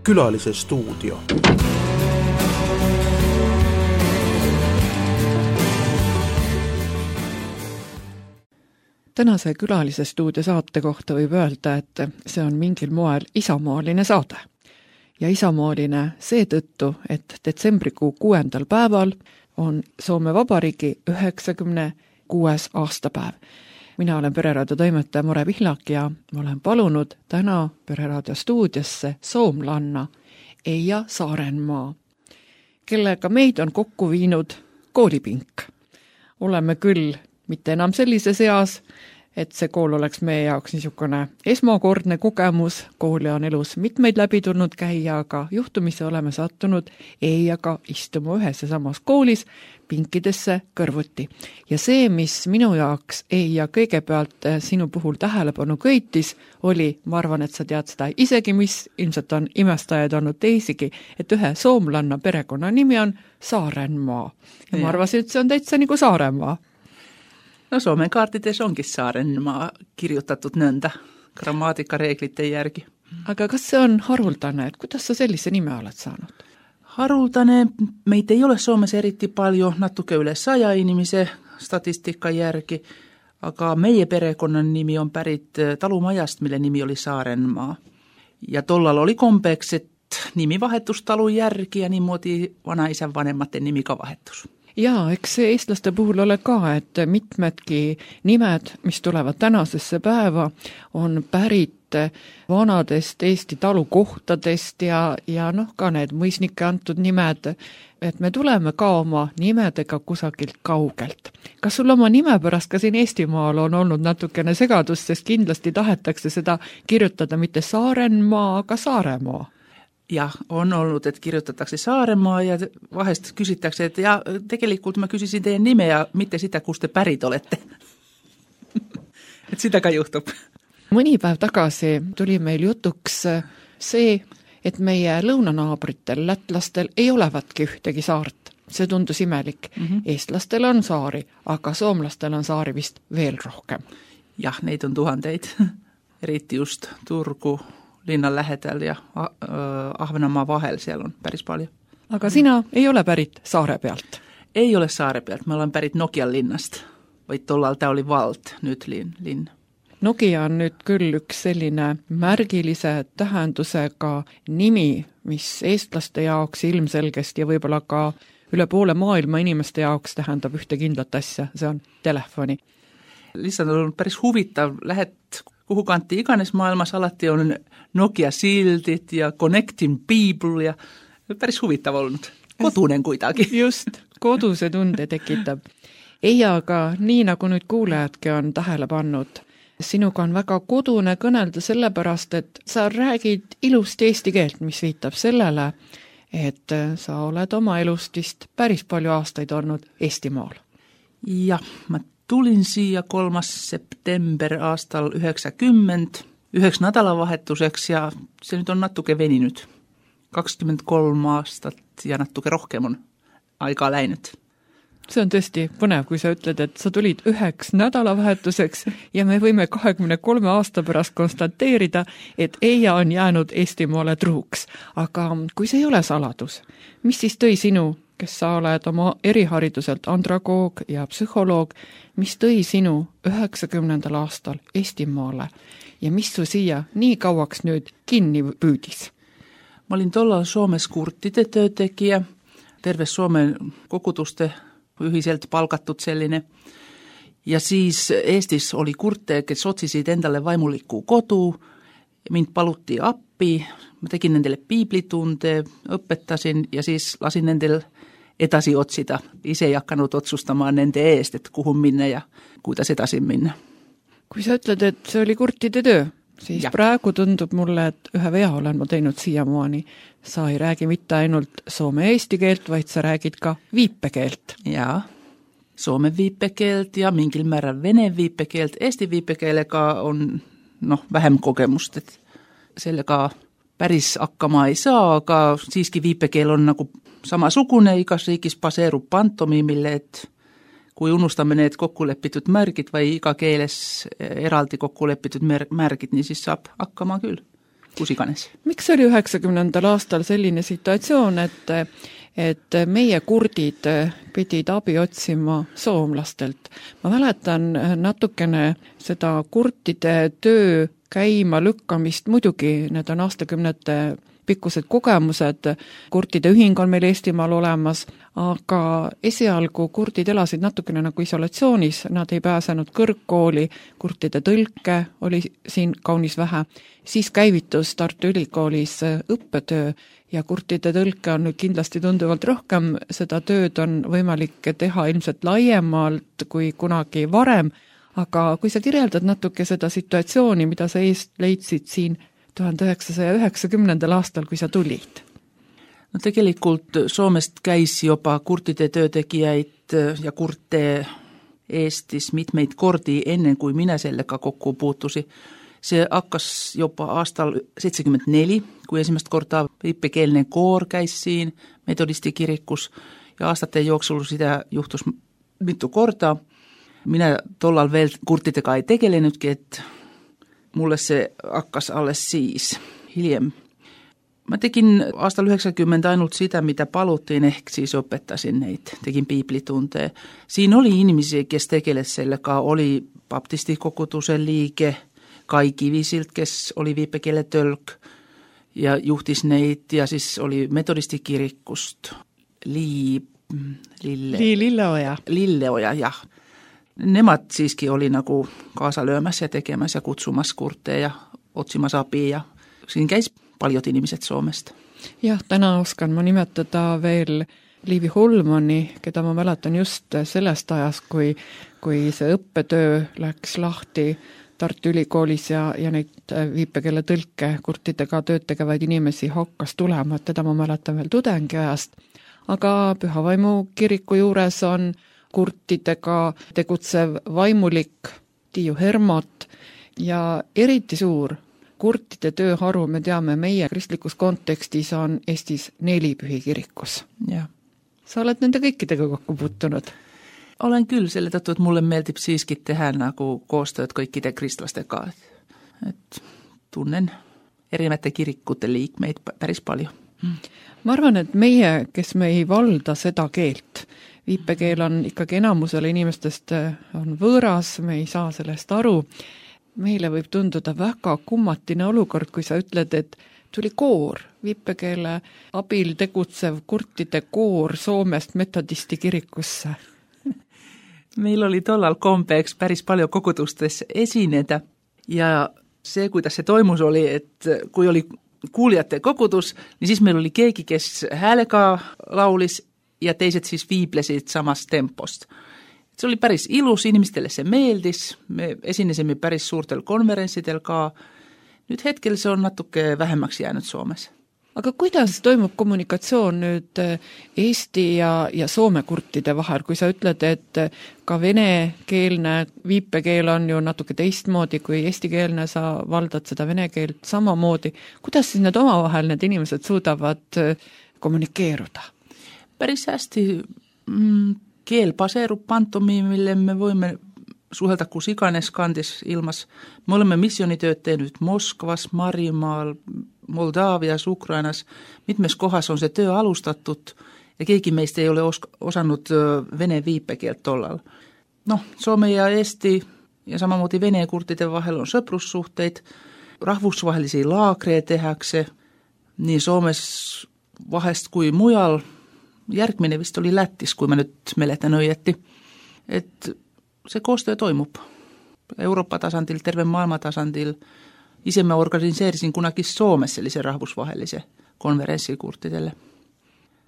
Külalise stuudio. Tänase Külalise stuudio saate kohta võib öelda, et see on mingil moel isamaaline saade. Ja isamaaline seetõttu, et detsembrikuu 6. päeval on Soome Vabariigi 96. aastapäev. Mina olen Pereraadio toimetaja Mare Pihlak ja ma olen palunud täna Pereraadio stuudiosse soomlanna Eija Saarenmaa, kellega meid on kokku viinud koolipink. Oleme küll mitte enam sellises eas, et see kool oleks meie jaoks niisugune esmakordne kogemus. Kooli on elus mitmeid läbi tulnud käia, aga juhtumisse oleme sattunud Eijaga istuma ühes ja samas koolis pinkidesse kõrvuti. Ja see, mis minu jaoks Eija kõigepealt sinu puhul tähelepanu köitis, oli, ma arvan, et sa tead seda isegi, mis ilmselt on imestajaid olnud teisigi, et ühe soomlanna perekonna nimi on Saarenmaa. Ja ma arvasin, et see on täitsa nagu Saaremaa. No Suomen kaartides onkin Saarenmaa kirjoitetut nõnda grammaatikareeglite järgi. Aga kas see on haruldane, et kuidas sa sellise nime oled saanud? Haruldane, meitä ei ole Suomessa eriti paljon, natuke üle 100 inimese statistika järgi, aga meie perekonnan nimi on pärit talumajast, mille nimi oli Saarenmaa. Ja tollal oli kompeeks, et nimi vahetus talun järgi ja niimoodi vanaisän vanhemmaten nimi ka vahetus. Jaa, eks see eestlaste puhul ole ka, et mitmedki nimed, mis tulevad tänasesse päeva, on pärit vanadest Eesti talukohtadest ja ka need mõisnike antud nimed, et me tuleme ka oma nimedega kusagilt kaugelt. Kas sul oma nime pärast ka siin Eestimaal on olnud natukene segadust, sest kindlasti tahetakse seda kirjutada mitte Saarenmaa, aga Saaremaa? Jah, on ollut, että kirjoitettaisiin Saaremaa ja vahest kysyttäisiin, että ja tegelikult mä kysyisin teidän nimeä ja mitte sitä, kun te pärit olette. Et sitäkään juhtub. Mõni päev tagasi tuli meil jutuks see, et meie lõunanaabritel, lätlastel ei olevatki ühtegi saart. See tundus imelik. Eestlastel on saari, aga soomlastel on saari vist veel rohkem. Jah, neid on tuhandeid. Eriti just Turku linnan lähedal ja Ahvenanmaa vahel, siellä on päris paljon. Aga sina ei ole pärit saare pealt? Ei ole saare pealt, mä olen pärit Nokian linnasta. Või tollal tää oli Valt, nyt linna. Nokia on nüüd küll üks selline märgilise tähendusega nimi, mis eestlaste jaoks ilmselgesti ja võib-olla ka üle poole maailma inimeste jaoks tähendab ühte kindlat asja, see on telefoni. Lihtsalt on päris huvitav, lähed kuhu kantti iganes maailmas, alati on Nokia-sildit ja Connecting People ja päris huvitav olnud. Kodunen kuidagi. Just, koduse tunde tekitab. Eija, aga nii nagu nüüd kuulejadki on tähele pannud, sinuga on väga kodune kõnelda sellepärast, et sa räägid ilusti eesti keelt, mis viitab sellele, et sa oled oma elust vist päris palju aastaid olnud Eestimaal. Jah, ma tulin siia 3. september aastal 90, üheks nädalavahetuseks ja see nüüd on natuke veninud. 23 aastat ja natuke rohkem on aega läinud. See on tõesti põnev, kui sa ütled, et sa tulid üheks nädalavahetuseks ja me võime 23 aasta pärast konstateerida, et Eija on jäänud Eestimaale truuks. Aga kui see ei ole saladus, mis siis tõi sinu, kes sa oled oma erihariduselt andragoog ja psühholoog, mis tõi sinu 90. aastal Eestimaale ja mis su siia nii kauaks nüüd kinni püüdis? Ma olin tollal Suomes kurttide töötekijä, terve Suomen kokutuste ühiselt palkatud selline. Ja siis Eestis oli kurte, kes otsisid endale vaimulikku kodu, mind palutti appi, ma tegin nendele piiblitunde, õpetasin ja siis lasin nendel edasi otsida. Ise ei hakanud otsustamaan nende eest, et kuhu minna ja kuidas edasi minna. Kui sa ütled, et see oli kurtide töö, siis praegu tundub mulle, et ühe vea olen ma teinud siiamaani. Sa ei räägi mitte ainult soome eesti keelt, vaid sa räägid ka viipekeelt. Jaa, soome viipekeelt ja mingil määral vene viipekeelt. Eesti viipekeelega on vähem kogemust, et sellega päris hakkama ei saa, aga siiski viipekeel on nagu samasugune, igas riigis baseerub pantomiimille, et kui unustame need kokkulepitud märgid või iga keeles eraldi kokkulepitud märgid, niin siis saab hakkama küll. kus iganes. Miks oli 90. aastal selline situatsioon, et meie kurdid pidid abi otsima soomlastelt? Ma mäletan natukene seda kurtide töö käima lükkamist, muidugi need on aastakümnete pikkused kogemused, kurtide ühing on meil Eestimaal olemas, aga esialgu kurdid elasid natukene nagu isolatsioonis, nad ei pääsenud kõrgkooli, kurtide tõlke oli siin kaunis vähe. Siis käivitus Tartu Ülikoolis õppetöö ja kurtide tõlke on nüüd kindlasti tunduvalt rohkem, seda tööd on võimalik teha ilmselt laiemalt kui kunagi varem, aga kui sa kirjeldad natuke seda situatsiooni, mida sa leidsid siin 1990. aastal, kui sa tulid? No tegelikult Soomest käis juba kurtide töötegijaid ja kurte Eestis mitmeid kordi enne, kui mina sellega kokku puutusi. See hakkas juba aastal 74, kui esimest korda viipekeelne koor käis siin metodisti kirikus ja aastate jooksul sitä juhtus mitu korda. Minä tollal veel kurtidega ei tegelenudki, et mulle see hakkas alles siis, hiljem. Ma tegin aastal 90 ainult sitä, mitä paluttiin, ehk siis õpetasin neid, tegin piiblitunte. Siin oli inimesi, kes tegeles sellega, oli baptistikokutuse liige, Kai Kivisilt, kes oli viipekeele tõlk ja juhtis neid ja siis oli metodistikirikust Lilleoja, jah. Nemad siiski oli nagu kaasa löömäs ja tekemäs ja kutsumas kurte ja otsimas abi ja siin käis paljud inimesed Soomest. Jah, täna oskan ma nimetada veel Liivi Holmani, keda ma mäletan just sellest ajast, kui see õppetöö läks lahti Tartu Ülikoolis ja neid viipekeele tõlke kurtidega tööd tegevaid inimesi hakkas tulema, et teda ma mäletan veel tudengiajast. Aga Pühavaimu kiriku juures on kurtidega tegutsev vaimulik Tiiu Hermot ja eriti suur kurtide tööharu, me teame, meie kristlikus kontekstis on Eestis 4 pühikirikus. Ja. Sa oled nende kõikidega kokku puutunud? Olen küll selle tõttu, et mulle meeldib siiski teha nagu koostööd kõikide kristlastega. Et tunnen erinevate kirikute liikmeid päris palju. Ma arvan, et meie, kes me ei valda seda keelt, viipekeel on ikkagi enamusele inimestest on võõras, me ei saa sellest aru. Meile võib tunduda väga kummatine olukord, kui sa ütled, et tuli koor, viipekeele abil tegutsev kurtide koor Soomest metodisti kirikusse. Meil oli tollal kompeeks päris palju kogudustes esineda ja see, kuidas see toimus, oli, et kui oli kuulijate kogudus, niin siis meil oli keegi, kes häälega laulis ja teised siis viiblesid samast tempost. See oli päris ilus, inimestele see meeldis, me esinesime päris suurtel konverentsidel ka. Nüüd hetkel see on natuke vähemaks jäänud Soomes. Aga kuidas toimub kommunikatsioon nüüd Eesti ja Soome kurtide vahel, kui sa ütled, et ka venekeelne viipekeel on ju natuke teistmoodi kui eestikeelne, sa valdad seda vene keelt samamoodi. Kuidas siis need omavahel need inimesed suudavad kommunikeeruda? Päris hästi keel baseerub pantomiimille, me voimme suhelda kus iganes kandis ilmas. Me olemme missionitööd teinud Moskvas, Marimaal, Moldaavias, Ukrainas. Mitmes kohas on see töö alustatud ja keegi meist ei ole osanud vene viipekeelt tollal. Soome ja Eesti ja samamoodi vene kurtide vahel on sõprussuhteid, rahvusvahelisi laagreid tehakse nii Soomes vahest kui mujal. Järgmine vist oli Lätis, kui mä nyt mäletän õieti. Et see koostöö toimub Euroopa tasandil, terve maailma tasandil. Ise mä organiseerisin kunagi Soomes sellise rahvusvahelise konverentsi kurtidele.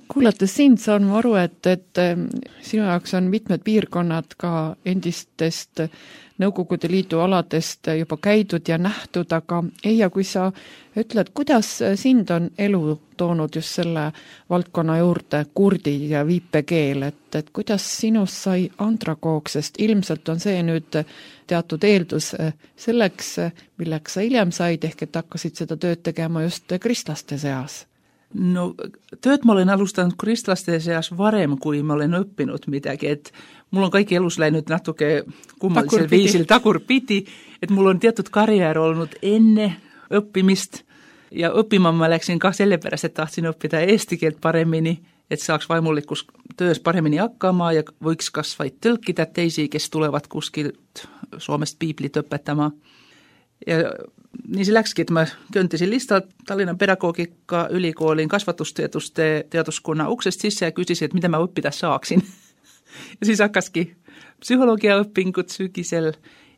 Kuulates sind saan ma aru, et sinu jaoks on mitmed piirkonnad ka endistest Nõukogude Liidu aladest juba käidud ja nähtud, aga Eija, kui sa ütled, kuidas sind on elu toonud just selle valdkonna juurde kurdi ja viipekeel, et kuidas sinust sai andragoog, sest ilmselt on see nüüd teatud eeldus selleks, milleks sa hiljem said, ehk et hakkasid seda tööd tegema just kristlaste seas? No, tööd ma olen alustanud kristlaste seas varem, kui ma olen õppinud midagi, et mul on kaikki elus läinud natuke kummalisel viisil tagurpidi, et mul on teatud karjäär olnud enne õppimist Ja õppimaan mä läksin sellepärast, että tahtsin oppida eesti keelt paremini, että saaks vaimullikkus töös paremini hakkaamaan ja võiks kas vaid tõlkida teisi, kes tulevat kuskilt Suomesta piiblit õpetamaan. Ja niin se läksikin, että mä köntisin listalta Tallinnan pedagogiikka-ylikoolin kasvatustietuskunnan uksesta sisään ja kysysin, että mitä mä oppida saaksin. Ja siis hakkaskin psykologiaoppingud sykisel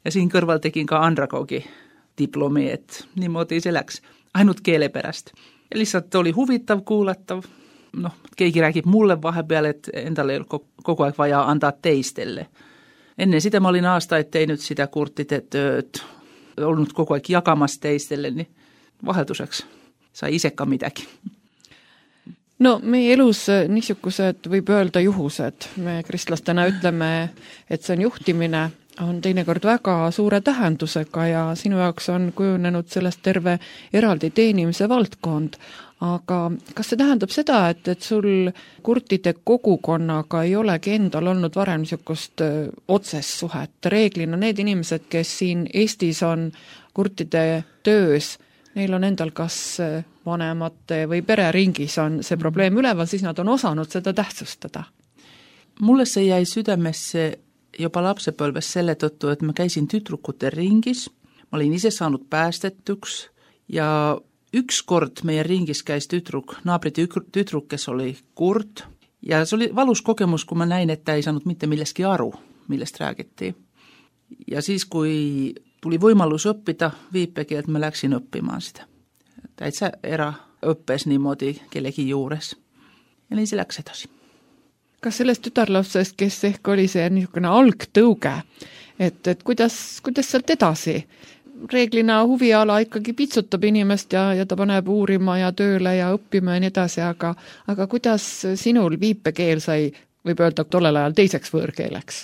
ja siinä kõrval tekin ka andragogi-diplomi, että niimoodi se läks. Ainut keeleperästä. Ja lihtsalt oli huvitav, kuulattav. No, keegi räägib mulle vahepeal, että endalle ei ole koko ajan vajaa antaa teistelle. Ennen sitä mä olin aastaid teinud sitä kurttide tööd, ollut koko ajan jakamassa teistelle, niin vaheltuseks sai ise ka midagi. No meie elus niisugused võib öelda juhused. Me kristlastena ütleme, et see on juhtimine, on teinekord väga suure tähendusega ja sinu jaoks on kujunenud sellest terve eraldi teenimise valdkond. Aga kas see tähendab seda, et sul kurtide kogukonnaga ei olegi endal olnud varem niisugust otsest suhet? Reeglina need inimesed, kes siin Eestis on kurtide töös, neil on endal kas vanemate või pereringis on see probleem üleval, siis nad on osanud seda tähtsustada. Mulle see jäi südamesse jopa lapsepõlves selle tõttu, et ma käisin tüdrukute ringis, ma olin ise saanud päästetuks ja ükskord meie ringis käis naabri tüdruk, kes oli kurt ja see oli valus kogemus, kui ma näin, et ta ei saanud mitte milleski aru, millest räägiti. Ja siis, kui tuli võimalus õppida viipekeelt, ma läksin õppimaan sitä. Täitsä eraõppes niimoodi kellegi juures. Ja niin se läks edasi. Kas sellest tütarlapsest, kes ehk oli see niisugune algtõuge, et kuidas sealt edasi? Reeglina huviala ikkagi pitsutab inimest ja ta paneb uurima ja tööle ja õppima ja nii edasi, aga kuidas sinul viipekeel sai, võib öelda, tollel ajal teiseks võõrkeeleks?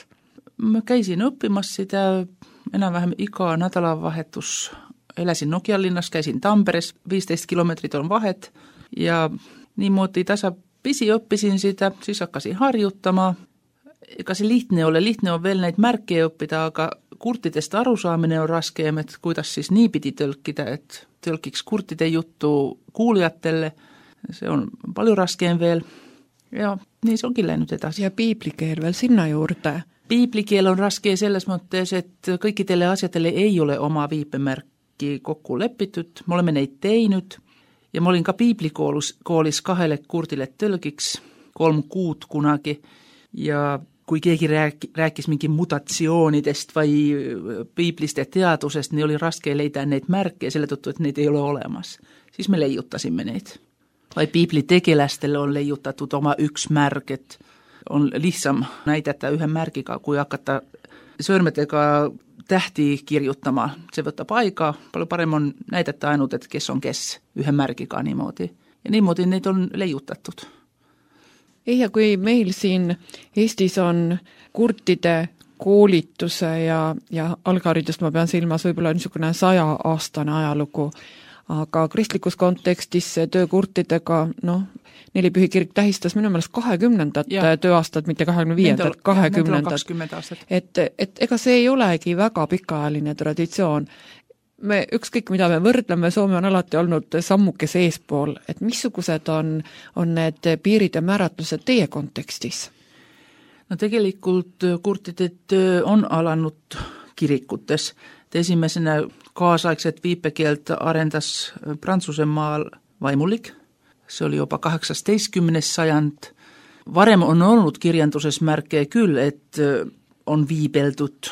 Ma käisin õppimas sitä enam-vähem iga nädalavahetus. Eläsin Nokialinnas, käisin Tamperes, 15 kilometrit on vahet ja niimoodi tasapisi õppisin sitä, siis hakkasin harjuttamaan. Ega see lihtne on veel neid märke õppida, aga kurtidest arusaamine on raskeem, et kuidas siis niipidi tõlkida, et tõlkiks kurtide juttu kuulijatele. See on palju raskeem veel ja nii see onkin läinud edasi. Ja piiblikeel veel sinna juurde. Piiblikeel on raske selles mõttes, et kõikidele asjadele ei ole oma viipemärki kokku lepitud. Me oleme neid teinud ja ma olin ka piiblikoolis 2 kurdile tõlgiks 3 kuud kunagi ja kui keegi rääkis mingi mutatsioonidest või piiblist ja teadusest, niin oli raske leida neid märke selle tõttu, et neid ei ole olemas. Siis me leiutasime neid. Vai piiblitegelastele on leiutatud oma üks märk, et on lihtsam näidata ühe märgiga, kui hakata sõrmedega tähti kirjutama. See võtab aega, palju parem on näidata ainult, et kes on kes ühe märgiga niimoodi. Ja niimoodi neid on leiutatud. Ja kui meil siin Eestis on kurtide koolituse ja algharidust, ma pean silmas võib-olla niisugune 100-aastane ajalugu, aga kristlikus kontekstis see töö kurtidega, Nelipühi kirik tähistas minu meelest 20. tööaastat, mitte 25. 20. Et ega see ei olegi väga pikaajaline traditsioon. Ükskõik, mida me võrdleme, Soome on alati olnud sammukese eespool, et missugused on need piirid ja määratlused teie kontekstis? No tegelikult kurtide töö on alanud kirikutes. Esimesena kaasaegset viipekeelt arendas Prantsusmaal vaimulik. See oli juba 18. sajand. Varem on olnud kirjanduses märke küll, et on viibeldud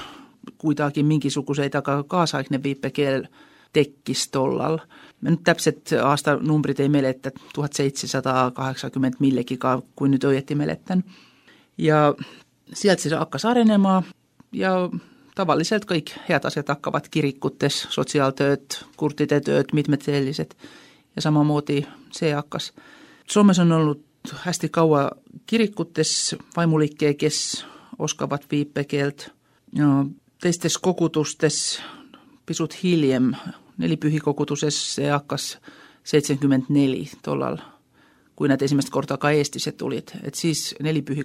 kuidagi mingisuguseid, aga kaasaegne viipekeel tekkis tollal. Me nyt täpset aastanumbrit ei meleta, 1780 millegiga, kui nüüd õieti meletan. Ja sealt siis hakkas arenemaan ja tavalliselt kõik head asjad hakkavad kirikutes, sotsiaaltööd, kurtide tööd, mitmed sellised. Ja samamoodi see hakkas. Suomes on ollut hästi kaua kirikutes vaimulikke, kes oskavad viipekeelt. Ja teistes kogutustes pisut hiljem, Nelipühikogutuses see hakkas 74 tollal, kui nad esimest korda ka Eestisse tulid. Et siis Nelipühi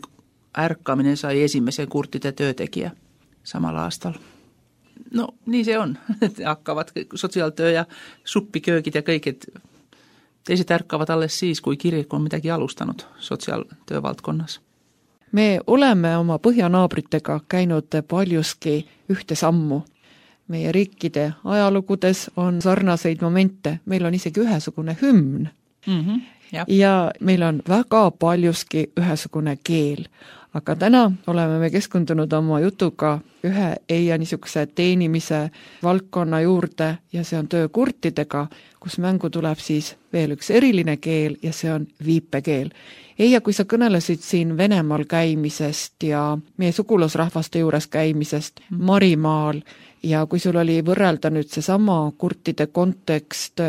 ärkamine sai esimese kurtide töötegija samal aastal. No nii see on, hakkavad sotsiaaltöö ja suppiköögid ja kõik, et Teiset ärkkaavat alles siis, kui kirik on midagi alustanut sotsiaaltöövaldkonnas. Me oleme oma põhjanaabritega käinud paljuski ühte sammu. Meie riikide ajalogudes on sarnaseid momente, meil on isegi ühesugune hümn ja meil on väga paljuski ühesugune keel. Aga täna oleme me keskendunud oma jutuga ühe EIA niisuguse teenimise valdkonna juurde ja see on töö kurtidega, kus mängu tuleb siis veel üks eriline keel ja see on viipekeel. EIA, kui sa kõnelesid siin Venemaal käimisest ja meie sugulasrahvaste juures käimisest Marimaal ja kui sul oli võrrelda nüüd seesama kurtide kontekst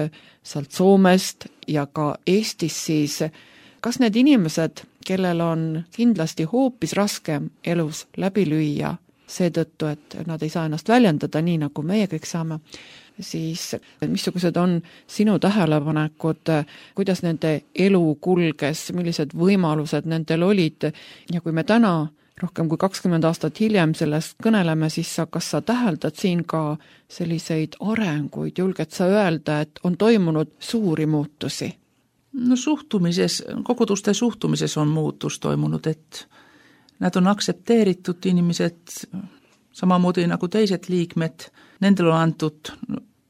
sealt Soomest ja ka Eestis, siis kas need inimesed, kellel on kindlasti hoopis raskem elus läbi lüüa seetõttu, et nad ei saa ennast väljendada nii, nagu meie kõik saame, siis missugused on sinu tähelepanekud, kuidas nende elu kulges, millised võimalused nendel olid ja kui me täna rohkem kui 20 aastat hiljem sellest kõneleme, siis kas sa täheldad siin ka selliseid arenguid, julged sa öelda, et on toimunud suuri muutusi? No suhtumises, koguduste suhtumises on muutus toimunud, et nad on aksepteeritud inimesed samamoodi nagu teised liikmed, nendel on antud,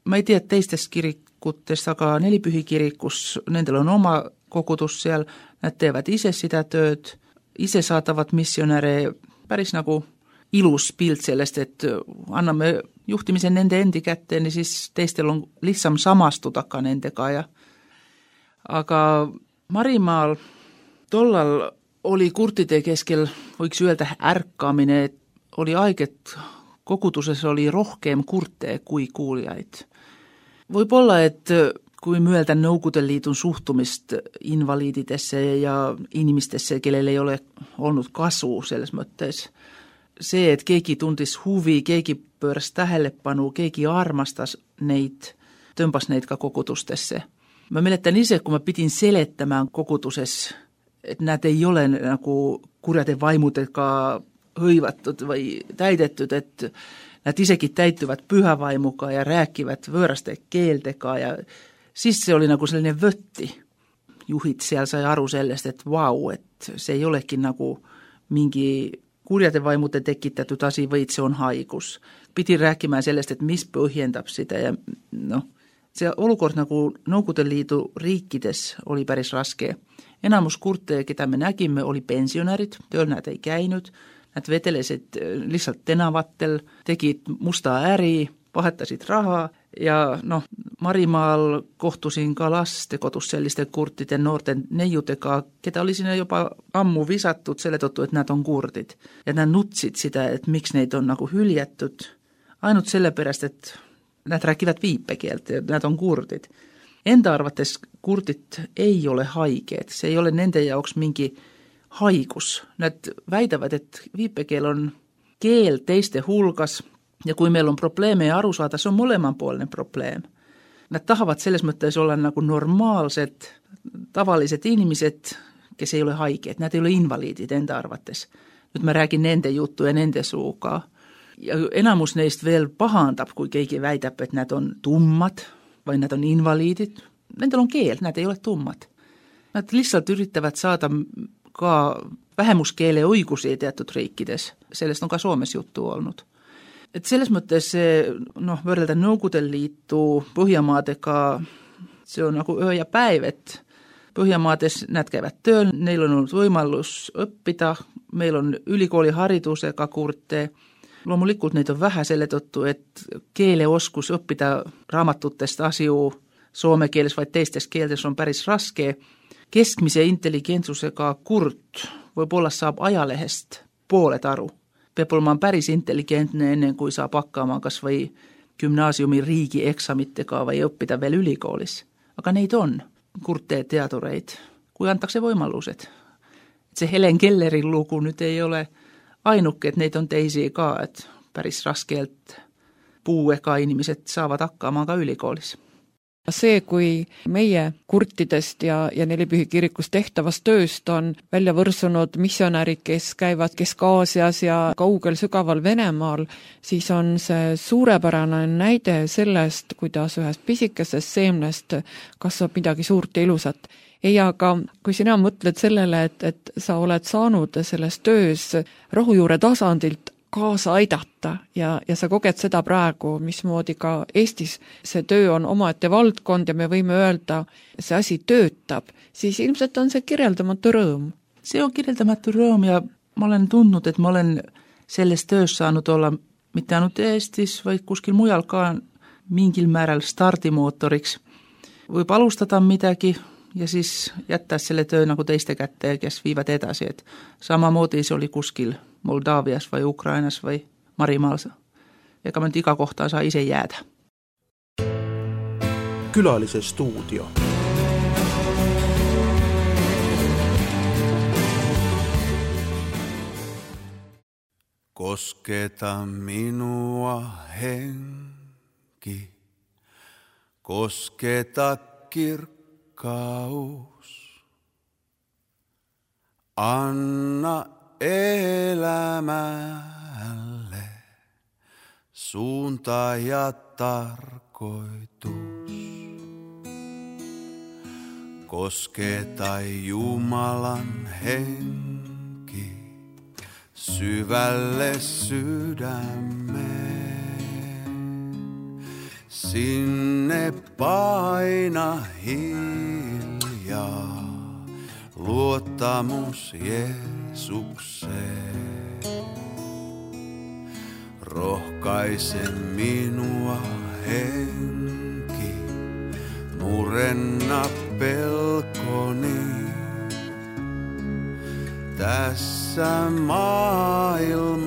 ma ei tea teistest kirikutest, aga Nelipühi kirikus, nendel on oma kogudus seal, nad teevad ise seda tööd, ise saadavad missionäre, päris nagu ilus pilt sellest, et anname juhtimise nende endi kätte, niin siis teistel on lihtsam samastuda ka nendega ja aga Marimaal tollal oli kurtide keskel, võiks öelda ärkamine, et oli aeg, et koguduses oli rohkem kurte kui kuulijaid. Võib-olla, et kui mõelda Nõukogude Liidun suhtumist invaliididesse ja inimestesse, kellel ei ole olnud kasu selles mõttes, see, et keegi tundis huvi, keegi pööras tähelepanu, keegi armastas neid, tõmbas neid ka kogudustesse. Ma mäletan ise, kui ma pidin seletama koguduses, et nad ei ole nagu kurjade vaimudega hõivatud või täidetud, et nad isegi täituvad pühavaimuga ja rääkivad võõraste keeldega ja siis see oli nagu selline võtti. Juhid seal sai aru sellest, et vau, et see ei olegi nagu mingi kurjade vaimude tekitatud asi, vaid see on haigus. Pidi rääkima sellest, et mis põhjendab seda ja see olukord nagu Nõukogude Liidu riikides oli päris raske. Enamus kurte, keda me nägime, oli pensionärid, tööl nad ei käinud, nad vedelesid lihtsalt tänavatel, tegid musta äri, vahetasid raha ja Marimaal kohtusin ka lastekodus selliste kurtide noorte neiudega, keda oli sinna juba ammu visatud selle tõttu, et nad on kurdid. Ja nad nutsid seda, et miks neid on nagu hüljetud, ainult sellepärast, et nad räägivad viipekeelt ja nad on kurdid. Enda arvates kurdid ei ole haiged, see ei ole nende jaoks mingi haigus. Nad väidavad, et viipekeel on keel teiste hulgas ja kui meil on probleeme ja aru saada, see on mõlemapoolne probleem. Nad tahavad selles mõttes olla nagu normaalsed, tavalised inimesed, kes ei ole haiged, nad ei ole invaliidid enda arvates. Nüüd ma räägin nende juttu ja nende suuga. Ja enamus neist veel pahandab, kui keegi väidab, et nad on tummad või nad on invaliidid. Nendel on keel, nad ei ole tummad. Nad lihtsalt üritavad saada ka vähemuskeele õigusi teatud riikides. Sellest on ka Soomes juttu olnud. Et selles mõttes võrrelda Nõukogude Liitu Põhjamaadega, see on nagu öö ja päev, et Põhjamaades nad käivad tööl, neil on olnud võimalus õppida, meil on ülikooli haridusega kurte. Loomulikult neid on vähe selle tõttu, et keeleoskus õppida raamatutest asju soome keeles või teistes keeltes on päris raske. Keskmise intelligentsusega kurt võib-olla saab ajalehest pooled aru. Peab olema päris intelligentne enne, kui saab hakkama kas või gümnaasiumi riigieksamitega või õppida veel ülikoolis. Aga neid on, kurte teadureid, kui antakse võimalused. See Helen Kelleri lugu nüüd ei ole ainuke, et neid on teisi ka, et päris raskelt puuega inimesed saavad hakkama ka ülikoolis. See, kui meie kurtidest ja Nelipühi kirikus tehtavast tööst on välja võrsunud missionärid, kes käivad Kesk-Aasias ja kaugel sügaval Venemaal, siis on see suurepärane näide sellest, kuidas ühest pisikesest seemnest kasvab midagi suurt ja ilusat. Ei, aga kui sina mõtled sellele, et sa oled saanud selles töös rohujuure tasandilt kaasa aidata ja sa koged seda praegu, mismoodi ka Eestis see töö on omaette valdkond ja me võime öelda, see asi töötab, siis ilmselt on see kirjeldamatu rõõm. See on kirjeldamatu rõõm ja ma olen tundnud, et ma olen selles töös saanud olla mitte ainult Eestis, vaid kuskil mujal ka mingil määral stardimootoriks. Võib alustada midagi ja siis jätta selle töö nagu teiste kätte, kes viivad edasi, et samamoodi see oli kuskil Moldaavias või Ukrainas või Marimaal. Ega me iga kohta saa ise jäädä. Külalise stuudio. Kosketa minua henki, kosketa kirkkaus. Anna elämälle suunta ja tarkoitus. Kosketa Jumalan henki syvälle sydämeen. Sinne paina hiljaa luottamus Jeesukseen. Rohkaise minua henki, murenna pelkoni. Tässä maailmassa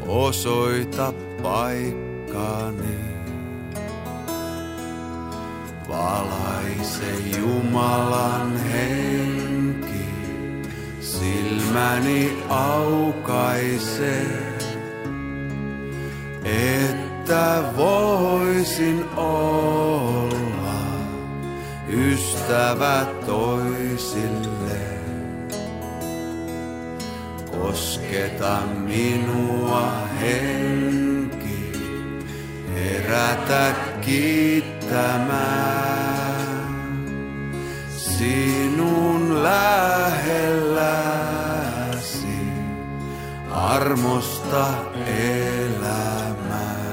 osoita paikkani. Valaise Jumalan henki, silmäni aukaise, että voisin olla ystävä toisille. Kosketa minua henki, herätä kiittämään. Sinun lähelläsi armosta elämään.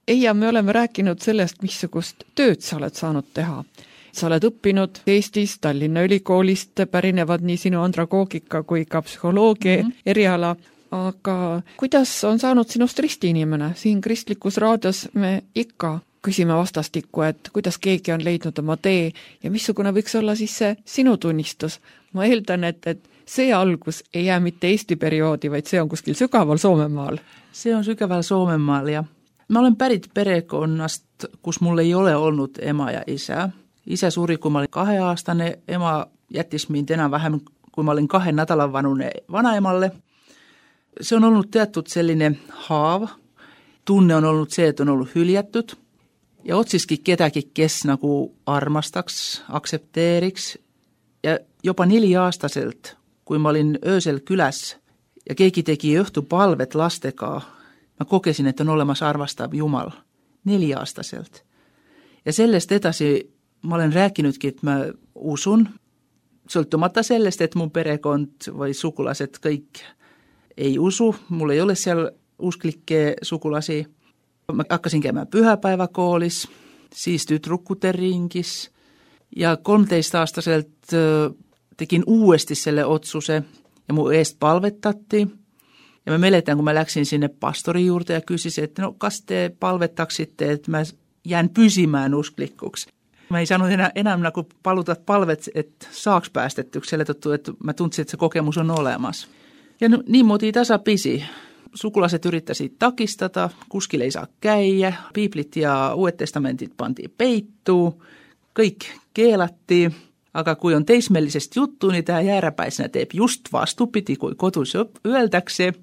Ja me oleme rääkinud sellest, missugust tööd sa oled saanud teha. Sa oled õppinud Eestis, Tallinna Ülikoolist, pärinevad nii sinu andragoogika kui ka psühholoogia eriala, aga kuidas on saanud sinust ristiinimene? Siin Kristlikus raadios me ikka küsime vastastikku, et kuidas keegi on leidnud oma tee ja missugune võiks olla siis see sinu tunnistus. Ma eeldan, et see algus ei jää mitte Eesti perioodi, vaid see on kuskil sügaval Soomemaal. See on sügaval Soomemaal ja ma olen pärit perekonnast, kus mul ei ole olnud ema ja isä. Isä suri, kun mä olin 2-aastane, ema jättis mind enää vähem, kun mä olin 2 nädalan vanune vanaemalle. Se on ollut teatud selline haav. Tunne on ollut se, että on ollut hyljättyt. Ja otsiskin ketäkin, kes nagu armastaks, aksepteeriks. Ja jopa 4-aastaselt, kun mä olin öösel kylässä ja keegi teki õhtupalvet lastekaa, mä kokesin, että on olemassa arvastav Jumal 4-aastaselt. Ja sellest edasi mä olen rääkinytkin, että mä usun, sõltumatta sellest, että mun perekond või sukulaset kõik ei usu. Mulla ei ole siellä usklikke sukulasi. Mä hakkasin käymään pyhäpäiväkoolis, siis tytrukkuten ringis. Ja 13-aastaselt tekin uudesti selle otsuse ja mun eest palvettattiin. Ja mä meletään, kun mä läksin sinne pastorin juurde ja kysysin, että no kas te palvettaksitte, että mä jään pysimään usklikuksi. Mä ei saanut enää kun palutat palvet, että saaks päästettyksi, selitetty, että mä tuntsin, että se kokemus on olemassa. Ja niin muotiin tasapisi. Sukulaiset yrittäisi takistata, kuskille ei saa käydä, piiplit ja uudet testamentit pantiin peittuu, kaikki keelattiin. Aga kui on teismellisest juttu, niin tämä jääräpäisenä teeb just vastupidi, kui kodus öeldakse.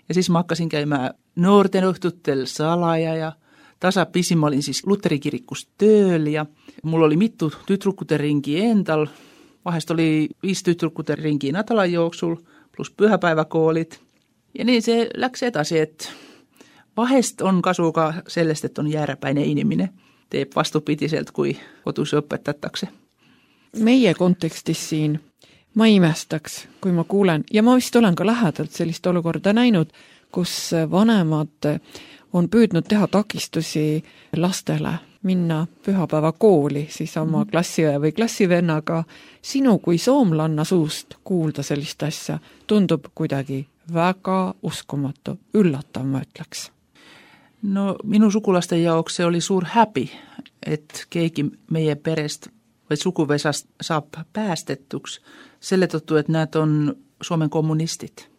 Ja siis mä hakkasin käymään nuorten õhtutel salaja ja tasapisi mä olin siis Lutterikirikkus tööl ja mulla oli mittu tytrukuten ringi endal. Vahest oli 5 tytrukuten ringi nädalan jooksul plus pyhäpäiväkoolit. Ja niin se läks edasi, että vahest on kasuka sellest, että on jääräpäinen iniminen. Teeb vastupidiselt, kui kodus õpetatakse. Meie kontekstis siin ma imestaks, kui ma kuulen, ja ma vist olen ka lähedalt sellist olukorda näinud, kus vanemad on püüdnud teha takistusi lastele minna pühapäeva kooli siis oma klassiõe või klassivennaga. Sinu kui soomlanna suust kuulda sellist asja tundub kuidagi väga uskumatu, üllatav, ma ütleks. No minu sukulasten jaoks se oli suur häbi, että keegi meie perest või sukuvesast saab päästettuks selle tõttu, että näet on Suomen kommunistit.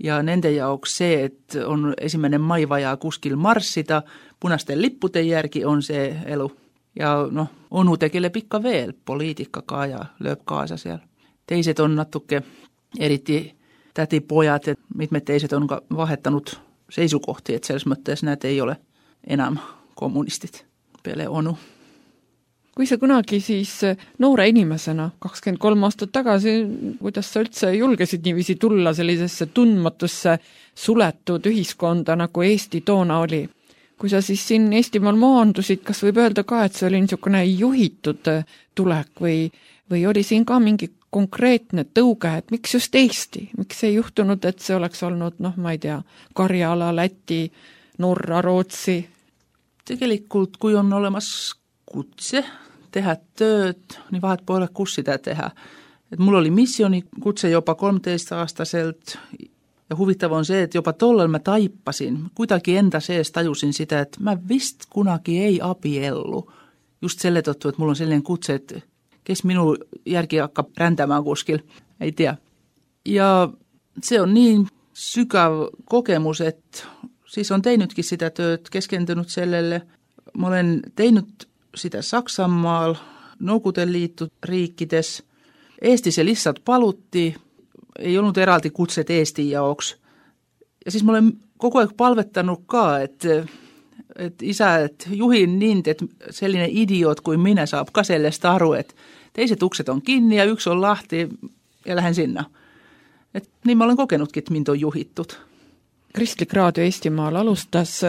Ja nende jaoks see, että on 1. mai vaja kuskil marssida, punasten lippujen järgi on se elu. Ja no, onu tegeleb ikka veel poliitikakaa ja lööb kaasa siellä. Teiset on natuke eriti tätipojat, että mitme teiset on vahettanut seisukohtia, että selles mõttes näet ei ole enam kommunistit, peale onu. Kui sa kunagi siis noore inimesena 23 aastat tagasi, kuidas sa üldse julgesid niiviisi tulla sellisesse tundmatusse suletud ühiskonda, nagu Eesti toona oli? Kui sa siis siin Eestimaal maandusid, kas võib öelda ka, et see oli niisugune juhitud tulek või oli siin ka mingi konkreetne tõuge, et miks just Eesti? Miks ei juhtunud, et see oleks olnud, ma ei tea, Karjala, Läti, Norra, Rootsi? Tegelikult, kui on olemas kutse tehdä tööd, niin vahet pole kus sitä tehdä. Et mulla oli missionikutse jopa 13-aastaselt ja huvittava on se, että jopa tollella mä taippasin. Kuitenkin enda sees tajusin sitä, että mä vist kunagi ei abiellu. Just selle tõttu, että mulla on sellainen kutse, että kes minun järki hakkaa räntämään kuskil, ei tiedä. Ja se on niin sykäv kokemus, että siis on teinytkin sitä tööt, keskentynyt sellelle. Mä olen teinyt sitä Saksanmaal, Noukuten liittoriikkides. Eesti se lihtsalt palutti, ei ollut eraldi kutset Eesti jaoks. Ja siis mä olen koko ajan palvettanut ka, että isä, että juhin niin, että sellainen idiot kuin minä saab ka sellest aru, että teiset ukset on kiinni ja yksi on lahti ja lähden sinna. Et niin mä olen kokenutkin, että mind on juhittut. Kristlik Raadio Eestimaal alustas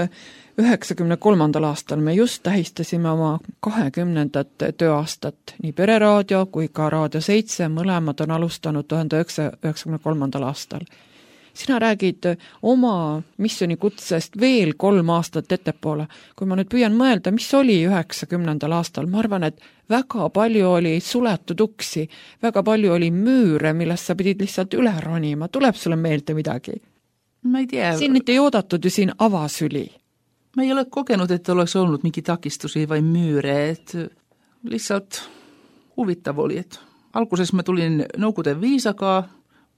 93. aastal. Me just tähistasime oma 20. tööaastat. Nii Pereraadio kui ka Raadio 7 mõlemad on alustanud 1993. aastal. Sina räägid oma missionikutsest veel 3 aastat ettepoole. Kui ma nüüd püüan mõelda, mis oli 90. aastal, ma arvan, et väga palju oli suletud uksi, väga palju oli müüre, millest sa pidid lihtsalt üle ronima. Tuleb sulle meelde midagi? Ma ei tiedä. Siin ei oodatud ju siin avasüli. Mä ei ole kokenut, että olisi ollut minkin takistusia vai myyre. Et lihtsalt huvittav oli. Et alkuisessa mä tulin Noukuten viisakaa,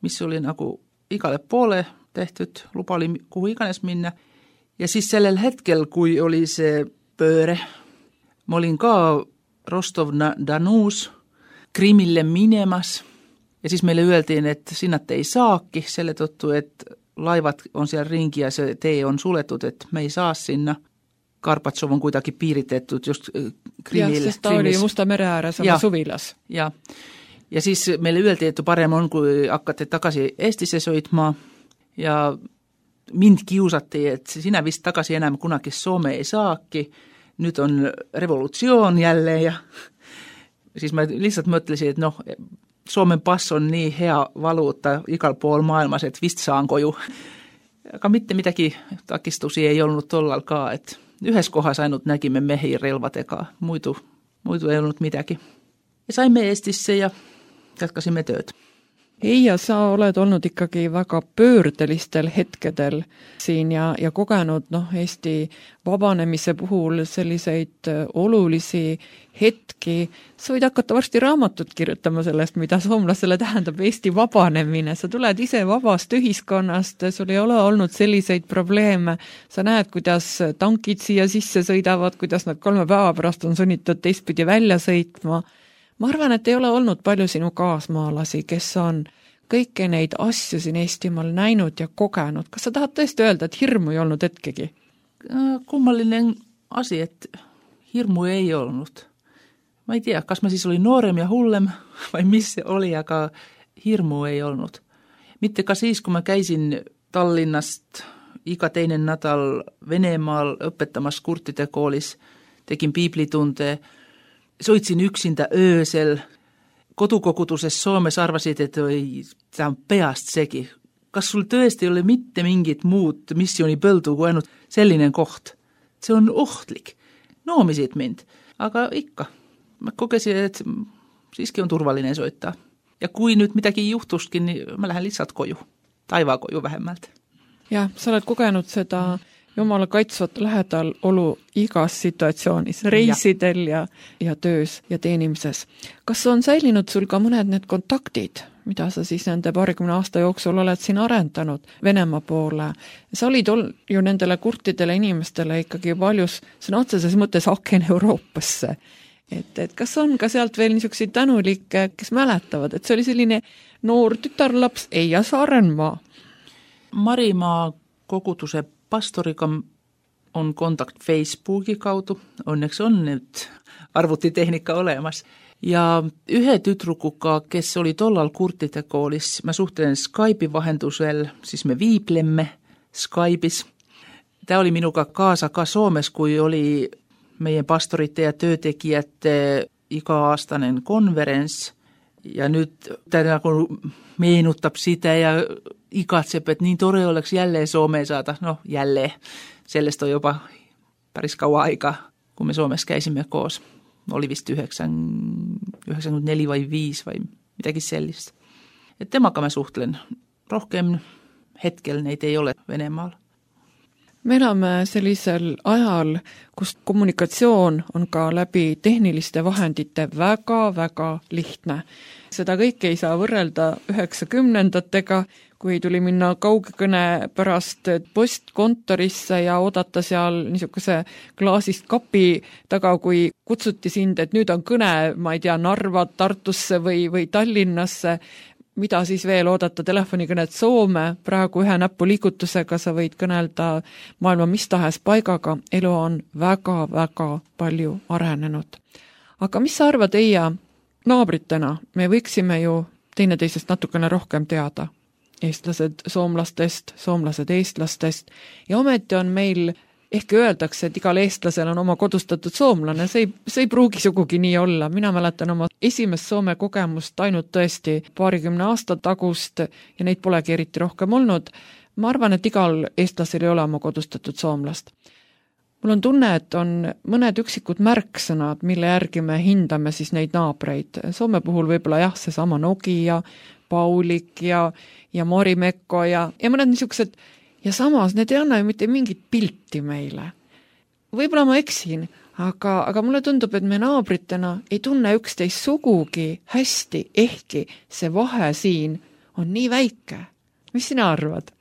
missä oli nagu igalle poole tehtyt. Lupa oli kuhu iganes minna. Ja siis sellel hetkel, kui oli se pööre, mä olin ka Rostov-Danus Krimille minemas. Ja siis meille yöltiin, että sinnat ei saakki. Selle tottu, että laivat on siellä rinki ja se tee on suletut, että me ei saa sinna. Karpatsov on kuitenkin piiritettu just Krimille. Ja, sest ta oli Musta mere ääres oma suvilas. Ja siis meille yöltiin, että paremmin on, kun hakkatte takaisin Eestisse soitmaan. Ja mind kiusattiin, että sinä vist takaisin enää kunnakin Suomeen ei saakki. Nyt on revolutioon jälleen. Ja siis mä lihtsalt mõtlesin, että no, Suomen pass on niin hea valuutta ikal puol maailmassa, että vist saanko ju. Aga mitte mitäkin takistusia ei ollut tollalkaan, että yhdessä kohdassa ainut näkimme mehiin relvatekaa. Muitu ei ollut mitäkin. Ja saimme Eestissä ja jatkasimme tööt. Eija, sa oled olnud ikkagi väga pöördelistel hetkedel siin ja kogenud Eesti vabanemise puhul selliseid olulisi hetki. Sa võid hakata varsti raamatut kirjutama sellest, mida soomlasele tähendab Eesti vabanemine. Sa tuled ise vabast ühiskonnast, sul ei ole olnud selliseid probleeme. Sa näed, kuidas tankid siia sisse sõidavad, kuidas nad 3 päeva pärast on sunnitud teistpidi välja sõitma. ma arvan, et ei ole olnud palju sinu kaasmaalasi, kes on kõiki neid asju siin Eestimaal näinud ja kogenud. Kas sa tahad tõesti öelda, et hirmu ei olnud hetkegi? Kummallinen asi, et hirmu ei olnud. Ma ei tea, kas ma siis olin noorem ja hullem vai mis se oli, aga hirmu ei olnud. Mitte ka siis, kun mä käisin Tallinnast iga teinen nädal Venemaal õpetamas kurtide koolis, tegin piiblitunte, soitsin yksintä öösel. Kotukokutuses Suomessa arvasid, että tämä on peast sekin. Kas sul tõesti oli mitte mingit muut missioonipõldu kuin ainult sellinen koht? Se on ohtlik. Noomisid mind, aga ikka. Mä kokesin, että siiski on turvallinen soittaa. Ja kui nyt mitäkin juhtuskin, niin mä lähden lihtsalt koju. Taivaan koju vähemmältä. Jah, sa oled kogenud seda Jumala kaitsvat lähedal olu igas situatsioonis, reisidel ja töös ja teenimises. Kas on säilinud sul ka mõned need kontaktid, mida sa siis nende 20 aasta jooksul oled siin arendanud Venemaa poole? Sa olid ju nendele kurtidele inimestele ikkagi paljus sõna otseses mõttes aken Euroopasse. Et kas on ka sealt veel niisuguseid tänulikke, kes mäletavad, et see oli selline noor tütarlaps Eija Saarenmaa? Marimaa kogutuse pastoriga on kontakt Facebooki kaudu. Onneksi on nyt arvutitehniikka olemas. Ja yhden tytrukuka, kes oli tollal kurtide koolis, mä suhtelen Skypein vahendusel, siis me viiplemme Skypeis. Tämä oli minuka kaasa ka Suomessa, kun oli meidän pastorite ja työtekijät iga-aastainen konferens. Ja nyt tämä kun meenuttab sitä ja ikatseb, että niin tore oleks jälleen Suomeen saada. No jälleen. Sellaista on jopa päris kauan aikaa, kun me Suomessa käisimme koos. Oli vist 94 vai 5 vai mitäkin sellaista. Et temaka mä suhtelen. Rohkeammin hetkellä neitä ei ole Venemaalla. Me elame sellisel ajal, kus kommunikatsioon on ka läbi tehniliste vahendite väga-väga lihtne. Seda kõike ei saa võrrelda 90-ndatega, kui tuli minna kaugkõne pärast postkontorisse ja oodata seal niisuguse klaasist kapi taga, kui kutsuti sind, et nüüd on kõne, ma ei tea, Narva, Tartusse või Tallinnasse, mida siis veel oodata telefonikõnet Soome, praegu ühe näpuliigutusega sa võid kõnelda maailma mis tahes paigaga, elu on väga-väga palju arenenud. Aga mis sa arvad, Eija, naabritena me võiksime ju teineteisest natukene rohkem teada? Eestlased soomlastest, soomlased eestlastest ja ometi on meil, ehkki öeldakse, et igal eestlasel on oma kodustatud soomlane, see ei pruugi sugugi nii olla. Mina mäletan oma esimest Soome kogemust ainult tõesti 20 aasta tagust ja neid polegi eriti rohkem olnud. Ma arvan, et igal eestlasel ei ole oma kodustatud soomlast. Mul on tunne, et on mõned üksikud märksõnad, mille järgi me hindame siis neid naabreid. Soome puhul võib-olla jah, seesama Nokia, Paulik ja Morimekko ja mõned niisugused. Ja samas need ei anna ju mitte mingit pilti meile. Võib-olla ma eksin, aga mulle tundub, et me naabritena ei tunne üksteist sugugi hästi, ehkki see vahe siin on nii väike. Mis sina arvad?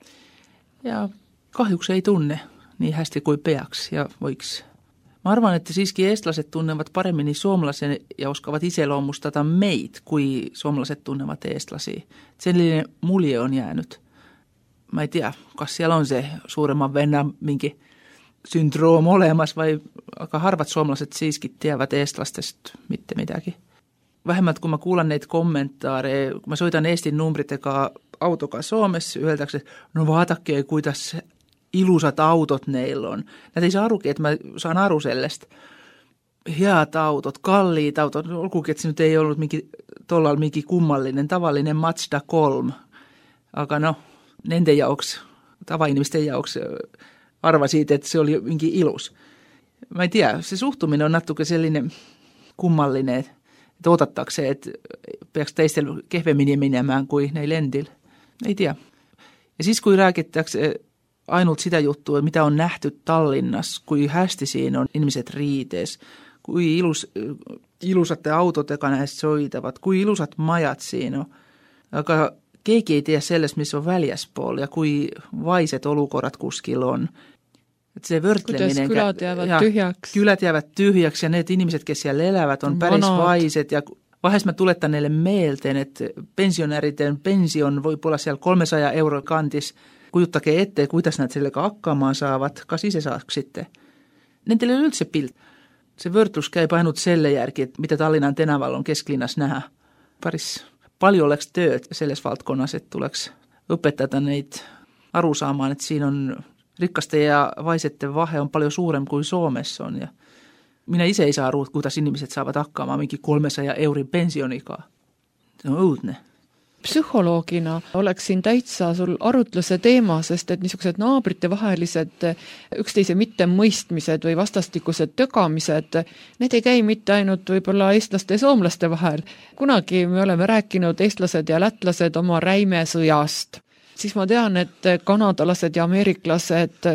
Ja kahjuks ei tunne nii hästi kui peaks ja võiks. Ma arvan, että siiski eestlaset tunnevat paremmin suomalaisen ja oskavat iseloomustada meid, kui suomalaiset tunnevat eestlasi. Sellainen mulje on jäänyt. Mä ei tiedä, kas siellä on se suuremman vennan minkin syndroom olemas, vai aika harvat suomalaiset siiski tiedät eestlastesta mitäkin. Vähemmät kun mä kuulen neitä kommentaareja, kun mä soitan Eestin numbriteka autokaa Suomessa, yhdeltäksi, no vaatakkeen kuitas ilusat autot neillä on. Näitä ei saa arukin, että mä saan aru sellaista. Hiat autot, kalliit autot, olkuukin, että se nyt ei ollut tollalla minkin kummallinen, tavallinen Mazda 3. Aga no, nenden jauks, tavainimisten jauks arva siitä, että se oli minkin ilus. Mä en tiedä, se suhtuminen on nattukin sellainen kummallinen, että odottakseen, että peaks teistä kehvemmin menemään kuin ne lendillä. Ei tiedä. Ja siis kun rääkittäkseen ainut sitä juttua, mitä on nähty Tallinnassa, kui hästi siinä on ihmiset riitees, kui ilusat autot, joka näistä soitavat, kui ilusat majat siinä on. Aga keegi ei tiedä sellaista, missä on väljäspuoli ja kui vaiset olukorrat kuskilla on. Et se vörtleminen. Kylät jäävät tyhjäksi. Kylät jäävät tyhjäksi ja ne ihmiset, kes siellä elävät, on päris vaiset ja Vahest mä tuletan neille mielteen, että pensionäriten pension voi olla siellä 300 € kantis. Kujuttakee ettei, kuitas näitä sille akkaamaan saavat, kasi se saako sitten. Ne teille yltä se pilt. Se vörtlus käy painut selle järki, että mitä Tallinnan Tenavallon kesklinnas nähdä. Paljon oleks tööt selles valtkonas, että tuleks opettaa neitä arusaamaan, että siinä on rikkasten ja vaisette vahe on paljon suurempi kuin Suomessa on. Ja minä itse ei saa ruut, kuinka ihmiset saavat akkaamaan minkin 300 € pensionikaa. Se on uutne. Psühholoogina oleks siin täitsa sul arutluse teema, sest et niisugused naabritevahelised üksteise mittemõistmised või vastastikused tögamised, need ei käi mitte ainult võib-olla eestlaste ja soomlaste vahel. Kunagi me oleme rääkinud eestlased ja lätlased oma räimesõjast. Siis ma tean, et kanadalased ja ameeriklased,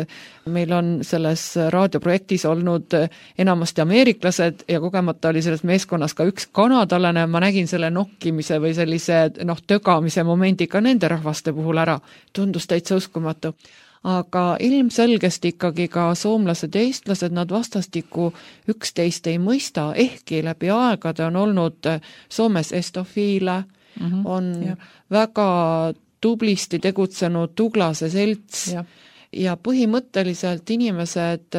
meil on selles raadioprojektis olnud enamasti ameeriklased ja kogemata oli selles meeskonnas ka üks kanadalane, ma nägin selle nokkimise või sellise tögamise momendi ka nende rahvaste puhul ära. Tundus täitsa uskumatu. Aga ilmselgesti ikkagi ka soomlased ja eestlased, nad vastastikku üksteist ei mõista, ehkki läbi aegade on olnud Soomes estofiile, on väga tublisti tegutsenud Tuglase selts ja põhimõtteliselt inimesed,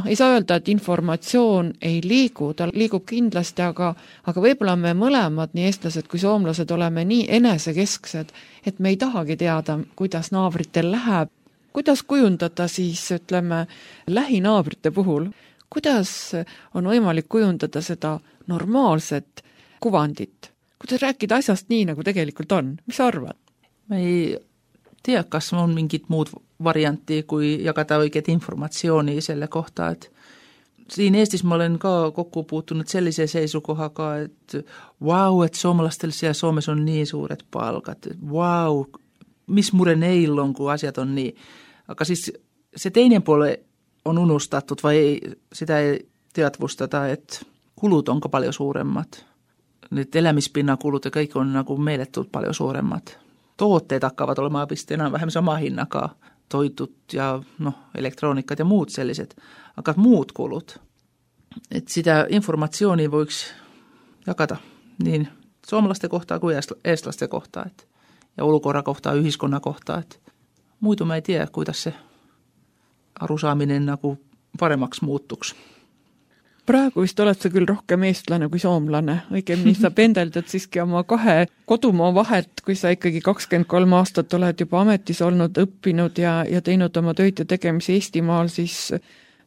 ei saa öelda, et informatsioon ei liigu, ta liigub kindlasti, aga võib-olla me mõlemad, nii eestlased kui soomlased, oleme nii enesekesksed, et me ei tahagi teada, kuidas naabritel läheb. Kuidas kujundada siis, ütleme, lähinaabrite puhul, kuidas on võimalik kujundada seda normaalset kuvandit? Kuidas rääkida asjast nii, nagu tegelikult on? Mis sa arvad? Ma ei tea, kas on mingit muud variantti, kui jagada õiget informatsiooni selle kohta, et siin Eestis ma olen ka kokku puutunud sellise seisukohaga, et et soomalastel siellä Suomessa on niin suuret palkat, mis mure neil on, kun asiat on niin. Aga siis se teinen puoli on unustattu, vai sitä ei teatvustata, että kulut onko paljon suuremmat. Nyt elämispinnan kulut ja kaikki on nagu meille tullut paljon suuremmat. Tuotteet hakkavat olemaan enää vähän sama hinnakaa, toitut ja elektroniikkat ja muut selliset, aga muut kulut. Et sitä informaationi voiko jakata niin suomalaisten kohtaa kuin eestlasten kohtaa ja ulkora kohtaa, yhdiskunnan kohtaa. Muitu mä ei tiedä, kuidas se arusaaminen nagu paremmaksi muuttuksi. Praegu vist oled sa küll rohkem eestlane kui soomlane. Õigemini sa pendeldad siiski oma 2 kodumaa vahet, kui sa ikkagi 23 aastat oled juba ametis olnud, õppinud ja teinud oma tööd ja tegemisi Eestimaal, siis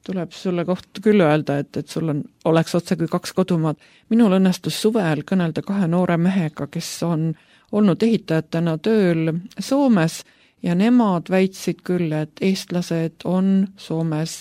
tuleb sulle koht küll öelda, et sul oleks otse kui 2 kodumaad. Minul õnnestus suvel kõnelda 2 noore mehega, kes on olnud ehitajatena tööl Soomes ja nemad väitsid küll, et eestlased on Soomes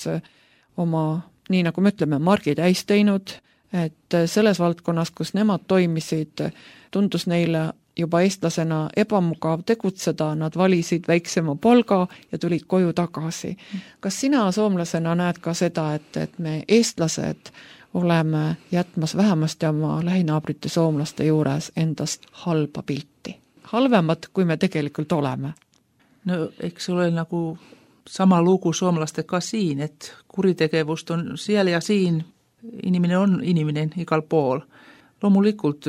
oma nii nagu me ütleme, margi täis teinud, et selles valdkonnas, kus nemad toimisid, tundus neile juba eestlasena ebamugav tegutseda, nad valisid väiksema palga ja tulid koju tagasi. Kas sina soomlasena näed ka seda, et me eestlased oleme jätmas vähemasti oma lähinaabrite soomlaste juures endast halba pilti? Halvemat, kui me tegelikult oleme? No, eks ole nagu sama lugu suomalastega siin, että kuritekevust on siellä ja siinä, iniminen on iniminen ikal pool. Loomulikult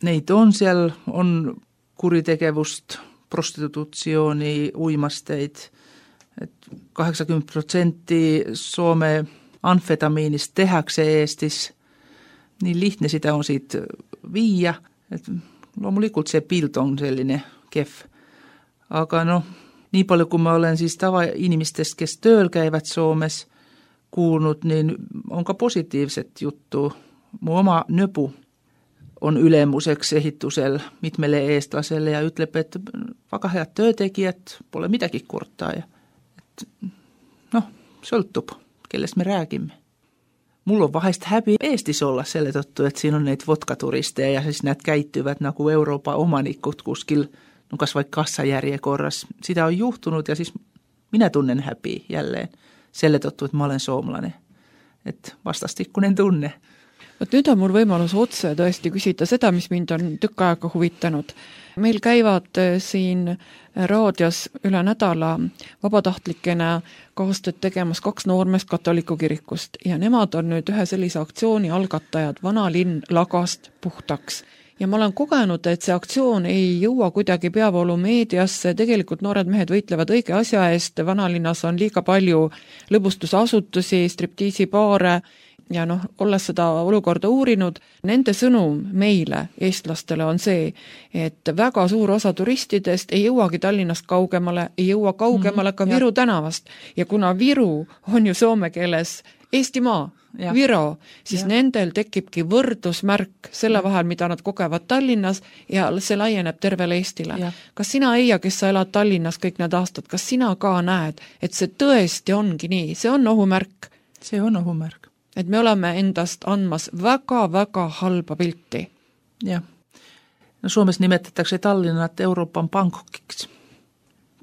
neid on siellä, on kuritekevust, prostitutsiooni, uimasteid. 80% Suome amfetamiinista tehäksä Eestis, niin lihtne sitä on siitä viiä. Loomulikult se pilt on sellainen kef. Aga niin paljon kuin mä olen siis tava-inimistest, kes tööl käyvät Suomessa kuullut, niin onko positiiviset juttu. Mun oma nöpu on ylemuseksi ehittusel mitmelle eestlaselle ja ytlepä, että vaikka heät töötekijät, pole mitäkin kurttaa. Sölttup, kelles me rääkimme. Mulla on vahest häpi Eestis olla selle tottu, että siinä on näitä vodkaturisteja ja siis näitä käittyvät nagu Euroopan omanikut kuskil. Kas vaikka kassajärjekorras. Sitä on juhtunut ja siis minä tunnen häpiä jälleen. Selle tottu, että mä olen soomlainen. Että vastastikkunen tunne. Vot nüüd on mul võimalus otse tõesti küsida seda, mis mind on tükk aega huvitanud. Meil käivad siin raadios üle nädala vabatahtlikena kaastööd tegemas 2 noormeest katoliku kirikust ja nemad on nüüd ühe sellise aktsiooni algatajad Vanalinn lagast puhtaks. Ja ma olen kogenud, et see aktsioon ei jõua kuidagi peavoolu meediasse, tegelikult noored mehed võitlevad õige asja eest, Vanalinnas on liiga palju lõbustusasutusi, striptiisipaare ja olles seda olukorda uurinud, nende sõnum meile, eestlastele, on see, et väga suur osa turistidest ei jõuagi Tallinnast kaugemale, ei jõua kaugemale ka Viru tänavast. Ja kuna Viru on ju soome keeles Eestimaa, Viro, siis nendel tekibki võrdusmärk selle vahel, mida nad kogevad Tallinnas ja see laieneb tervele Eestile. Kas sina, Eija, kes sa elad Tallinnas kõik need aastad, kas sina ka näed, et see tõesti ongi nii, see on ohumärk? See on ohumärk. Et me oleme endast andmas väga-väga halba pilti. Jah. No Suomes nimetatakse Tallinnat Euroopan Bangkokiks.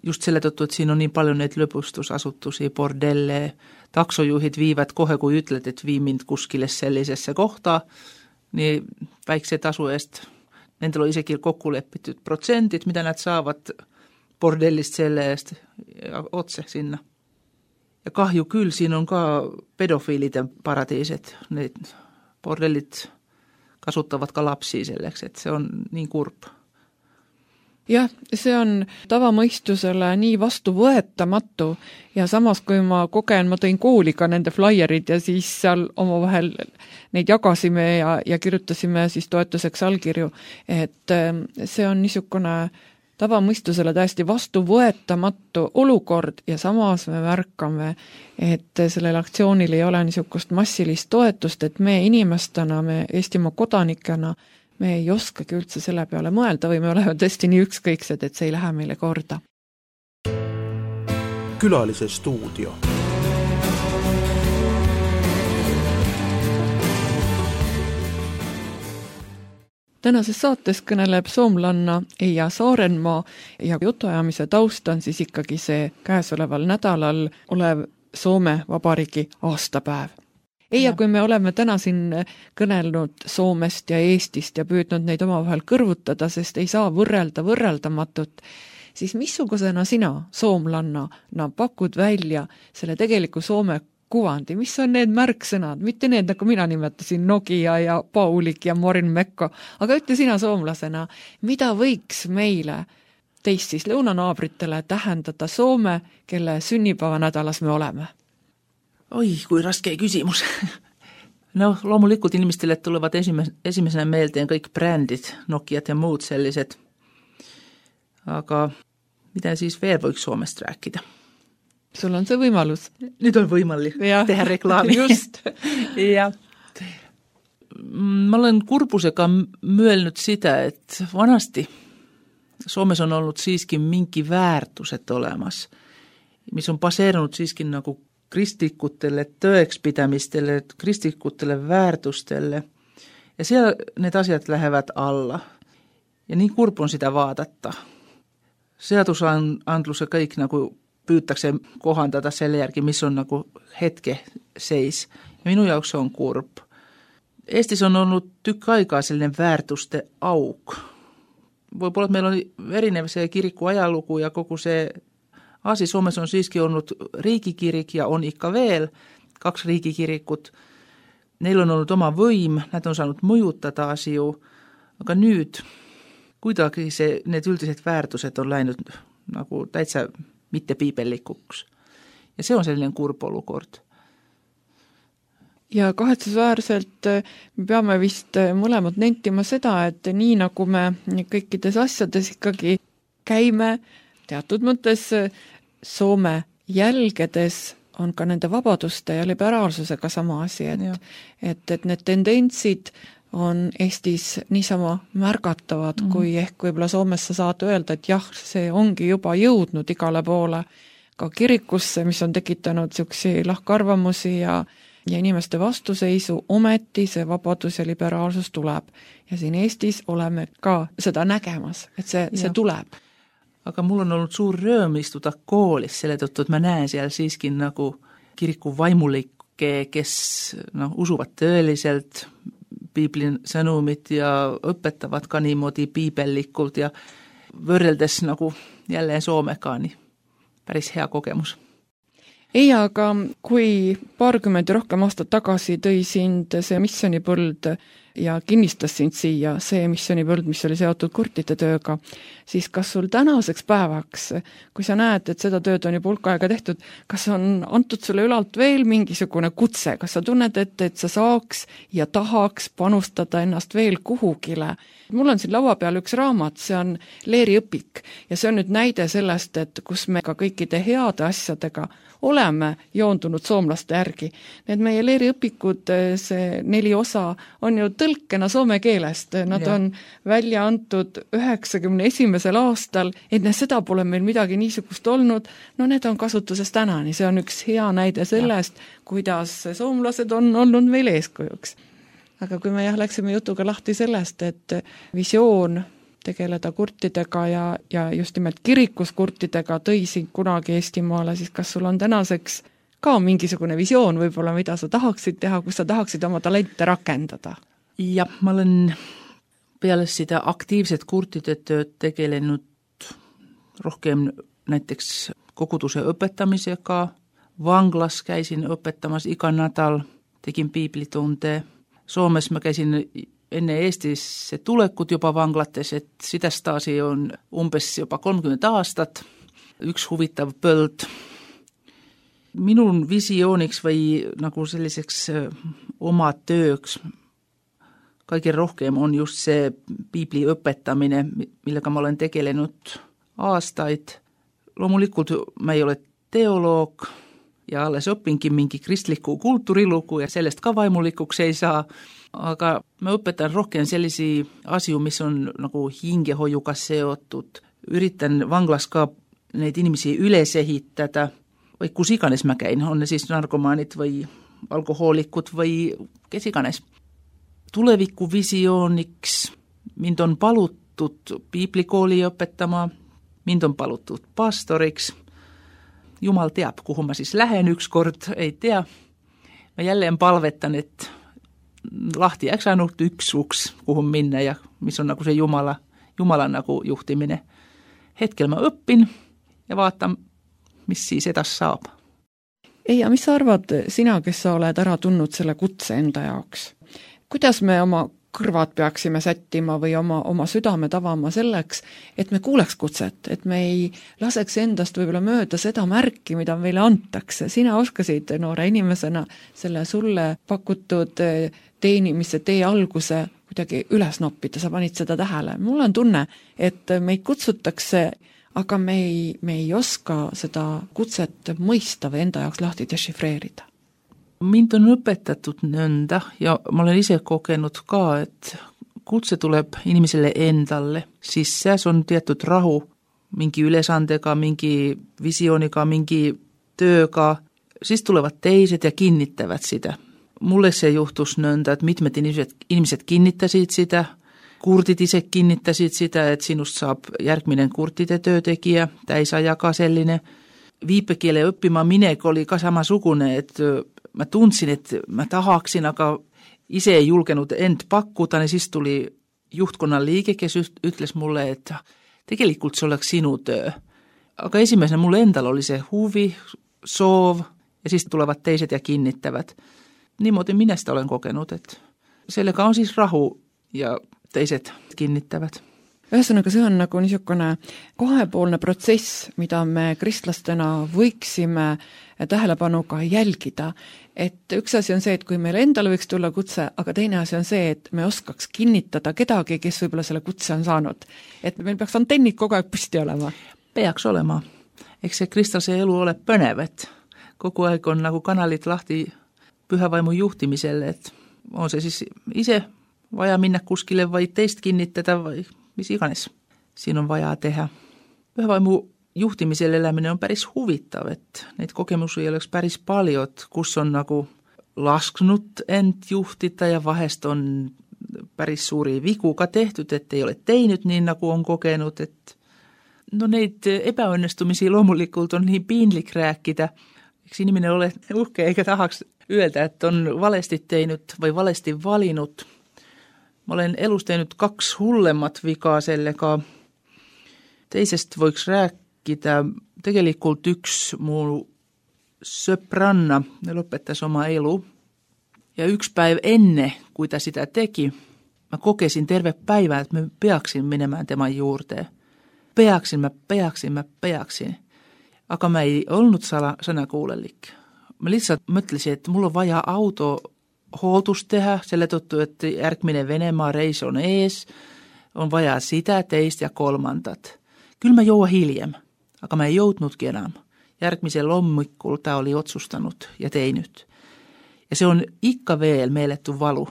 Just selle tõttu, et siin on nii palju neid lõbustusasutusi, bordelle, taksojuhid viivad kohe, kui ütled, et vii mind kuskile sellisesse kohta, nii väikse tasu eest. Nendel on isegi kokku lepitud protsendid, mida nad saavad bordellist selle eest otse sinna. Ja kahju küll, siin on ka pedofiilide paradiised. Need bordellid kasutavad ka lapsi selleks, et see on nii kurb. Jah, see on tavamõistusele nii vastuvõetamatu ja samas, kui ma kogen, ma tõin kooli ka nende flaierid ja siis seal omavahel neid jagasime ja kirjutasime siis toetuseks allkirju, et see on niisugune tavamõistusele täiesti vastuvõetamatu olukord ja samas me märkame, et sellel aktsioonil ei ole niisugust massilist toetust, et me inimestena, me Eestimaa kodanikena, me ei oskagi üldse selle peale mõelda või me oleme tõesti nii ükskõiksed, et see ei lähe meile korda. Külalise stuudio. Tänases saates kõneleb soomlanna Eija Saarenmaa ja jutuajamise taust on siis ikkagi see käesoleval nädalal olev Soome Vabariigi aastapäev. Eija, kui me oleme täna siin kõnelnud Soomest ja Eestist ja püüdnud neid omavahel kõrvutada, sest ei saa võrrelda võrreldamatut, siis missugusena sina, soomlanna, pakud välja selle tegeliku Soome kuvandi, mis on need märksõnad, mitte need, nagu mina nimetasin, Nokia ja Paulik ja Morin Mekko, aga ütle sina soomlasena, mida võiks meile, teist siis lõunanaabritele tähendada Soome, kelle sünnipäevanädalas me oleme? Oi, kui raske küsimus. No loomulikult inimestele tulevad esimesena meeldeen kõik brändid, Nokiat ja muud sellised. Aga mida siis veel võiks Soomest rääkida? Sul on see võimalus. Nüüd on võimalik teha reklaami. Just. Ja. Ma olen kurbusega mõelnud seda, et vanasti Soomes on olnud siiski mingi väärtused olemas, mis on baseerunud siiski nagu kristlikutele tõekspidamistele, kristlikutele väärtustele ja seal need asjad lähevad alla. Ja nii kurb on seda vaadata. Seadusandluse kõik nagu püütakse kohandada selle järgi, mis on nagu hetke seis. Ja minu jaoks on kurb. Eestis on olnud tükk aega selline väärtuste auk. Võib-olla meil on erinev see kiriku ajalugu ja kogu see asi. Soomes on siiski olnud riigikirik ja on ikka veel 2 riigikirikut. Neil on olnud oma võim, nad on saanud mõjutada asju, aga nüüd kuidagi need üldised väärtused on läinud nagu täitsa mitte piibellikuks. Ja see on selline kurb olukord. Ja kahetsusväärselt me peame vist mõlemad nentima seda, et nii nagu me kõikides asjades ikkagi käime teatud mõttes Soome jälgedes on ka nende vabaduste ja liberaalsusega sama asi, et need tendentsid on Eestis niisama märgatavad, kui ehk võib-olla Soomes sa saad öelda, et jah, see ongi juba jõudnud igale poole ka kirikusse, mis on tekitanud niisuguseid lahkarvamusi ja inimeste vastuseisu, ometi see vabadus ja liberaalsus tuleb. Ja siin Eestis oleme ka seda nägemas, et see tuleb. Aga mul on olnud suur rõõm istuda koolis selle tõttu, et ma näen seal siiski nagu kiriku vaimulikke, kes usuvad tõeliselt, piiblin sõnumit ja õpetavad ka niimoodi piibellikult ja võrreldes nagu jälleen Soomega, niin päris hea kogemus. Ei, aga kui paarkümmend ja rohkem aastat tagasi tõi sind see missionipõld ja kinnistas sind siia, see missionipõld, mis oli seotud kurtide tööga, siis kas sul tänaseks päevaks, kui sa näed, et seda tööd on juba hulk aega tehtud, kas on antud sulle ülalt veel mingisugune kutse, kas sa tunned ette, et sa saaks ja tahaks panustada ennast veel kuhugile? Mul on siin laua peal üks raamat, see on Leeri õpik ja see on nüüd näide sellest, et kus me ka kõikide heade asjadega oleme joondunud soomlaste järgi. Need meie Leeri õpikud, see 4 osa, on ju tõlkena soome keelest. Nad on välja antud 91. aastal, enne seda pole meil midagi niisugust olnud. No need on kasutuses tänani, see on üks hea näide sellest, kuidas soomlased on olnud meil eeskujuks. Aga kui me läksime jutuga lahti sellest, et visioon tegeleda kurtidega ja just nimelt kirikus kurtidega tõi sind kunagi Eestimaale, siis kas sul on tänaseks ka mingisugune visioon võib-olla, mida sa tahaksid teha, kus sa tahaksid oma talente rakendada? Ja ma olen peale sitä aktiivset kurtide tööd tegelenud rohkem näiteks koguduse õpetamisega, vanglas käisin õpetamas iga nädal, tegin piiblitunde. Soomes mä käisin enne Eestisse tulekut jopa vanglates, et sitä staasi on umbes jopa 30 aastat. Üks huvitav põld. Minun visiooniks või nagu selliseks oma tööks kaiken rohkem on just see piibli õpetamine, millega ma olen tegelenud aastaid. Loomulikult mä ei ole teoloog ja alles õpinkin mingi kristlikku kulttuuriluku ja sellest ka vaimulikuks ei saa. Aga mä õpetan rohkem sellisi asju, mis on nagu hingehoiuga seotud. Yritän vanglas ka neid inimesi üles ehitada, või kus iganes mä käin, on ne siis narkomaanid või alkohoolikut või kes iganes. Tulevikuvisiooniks mind on palutud piiblikooli õpetama, mind on palutud pastoriks. Jumal teab, kuhu mä siis lähen ykskord, ei tea. Mä jälleen palvetan, että lahti jääks ainult üks uks, kuhu minna ja mis on nagu se Jumalan nagu juhtimine. Hetkel mä õppin ja vaatan, mis siis edas saab. Ei, ja mis sa arvad sina, kes sa oled ära tundnud selle kutse enda jaoks? Kuidas me oma kõrvad peaksime sättima või oma südame tavama selleks, et me kuuleks kutset, et me ei laseks endast võib-olla mööda seda märki, mida meile antakse. Sina oskasid noore inimesena selle sulle pakutud teenimise tee alguse kuidagi üles noppida, sa panid seda tähele. Mul on tunne, et meid kutsutakse, aga me ei oska seda kutset mõista või enda jaoks lahti dešifreerida. Mind on õpetatud nõnda ja ma olen ise kogenud ka, et kutse tuleb inimeselle endalle, siis seas on tietyt rahu mingi ülesandega, mingi visiooniga, mingi tööga, siis tulevad teised ja kinnittävät sitä. Mulle se juhtus nõnda, että mitmet ihmiset kinnittäsid sitä, kurtit ise kinnittäsid sitä, että sinust saab järgminen kurtide töötekijä, täisajaga selline. Viipekielen õppima minek oli ka samasugune, että mä tundsin, että mä tahaksin, aga ise ei julgenut end pakkuda, niin siis tuli juhtkonnan liike, kes ütles mulle, että tegelikult se oleks sinu töö. Aga esimmäisenä mulle endal oli se huvi, soov ja siis tulevat teiset ja kinnittävät. Niimoodi minä sitä olen kokenut, että sellega on siis rahu ja teiset kinnittävät. Ühesõnaga, see on nagu niisugune kahepoolne protsess, mida me kristlastena võiksime tähelepanuga jälgida. Et üks asi on see, et kui meil endale võiks tulla kutse, aga teine asi on see, et me oskaks kinnitada kedagi, kes võib-olla selle kutse on saanud. Et meil peaks antennid kogu aeg püsti olema. Peaks olema. Eks see kristlase elu ole põnev, et kogu aeg on nagu kanalit lahti pühävaimu juhtimiselle, et on see siis ise vaja minna kuskile või teist kinnitada või mis iganes siin on vaja teha. Pühävaimu juhtimisel eläminen on päris huvitav, että neid kokemusi ei oleks päris paljon, kus on nagu lasknut end juhtida ja vahest on päris suuri vikuga tehty, että ei ole teinyt niin nagu on kokenut. Et no neid epäonnistumisia loomulikult on niin piinlik rääkida. Eikö iniminen ole uhkea eikä tahaks yöltä, että on valesti teinyt vai valesti valinut. Mä olen elus tehnyt 2 hullemmat vikaa sellega. Teisest voiks rääkkida. Tegelikult yksi muu söpranna lopettas oma elu. Ja 1 päivä ennen, kuin sitä teki, mä kokesin terve päivä, että mä peaksin menemään tämän juurteen. Peaksin. Aga mä ei ollut sanakuulellik. Mä lihtsalt mõtlesin, että mulla on vaja auto hootus tehdä, selle tõttu, että järgmine Venemaa reis on ees, on vaja sitä, teistä ja kolmantat. Kyllä mä joua hiljem, aga mä ei joutnutkin enää. Järgmisellä lommikkulla tää oli otsustanut ja teinyt. Ja se on ikka veel meeletty valu.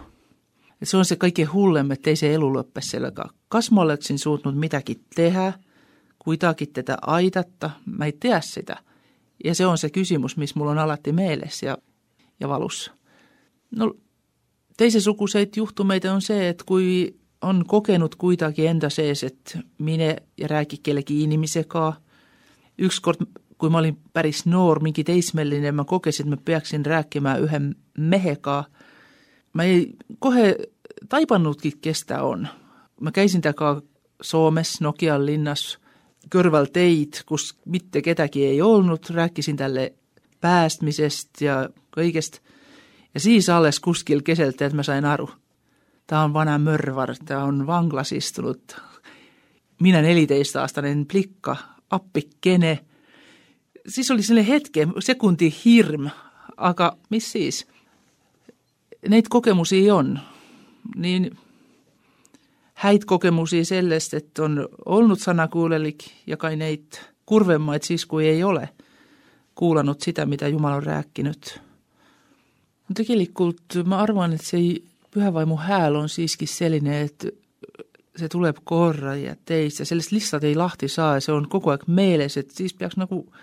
Ja se on se kaikkein hullem, että ei se elu loppes sellega. Kas mä oleksin suutnut mitäkin tehdä, kuitenkin tätä aitatta, mä ei tiedä sitä. Ja se on se kysymys, missä mulla on alatti mielessä ja valussa. No, teisen sukuseit juhtumeita on se, että kui on kokenut kuitenkin entä sees, että minä ja rääki kellekin inimisekaa. Yksi kort, kun mä olin päris nuor, minkin teismellinen, mä kokesin, että mä peaksin rääkkimään yhden mehekaa. Mä ei kohe taipannutkin, kestä on. Mä käisin takaa Suomessa, Nokian linnas, körväl teit, kus mitte ketäkin ei ollut. Rääkkisin tälle päästmisestä ja kaikesta. Ja siis alles kuskil keseltä, että mä sain aru. Tää on vanha mörvar, tää on vanglas istunut. Minä 14-aastainen plikka, appikene. Siis oli sellainen hetken, sekunti hirm, aga mis siis? Neid kokemusia on. Niin häit kokemusia sellaista, että on ollut sanakuulelik ja kai neid kurvemmaid siis, kun ei ole kuulannut sitä, mitä Jumala on rääkkinyt. Tegelikult mä arvan, että se pyhävaimu hääl on siiski sellainen, että se tulee korra ja teistä. Sellaista listat ei lahti saa ja se on koko ajan mielessä, että siis peaks nagu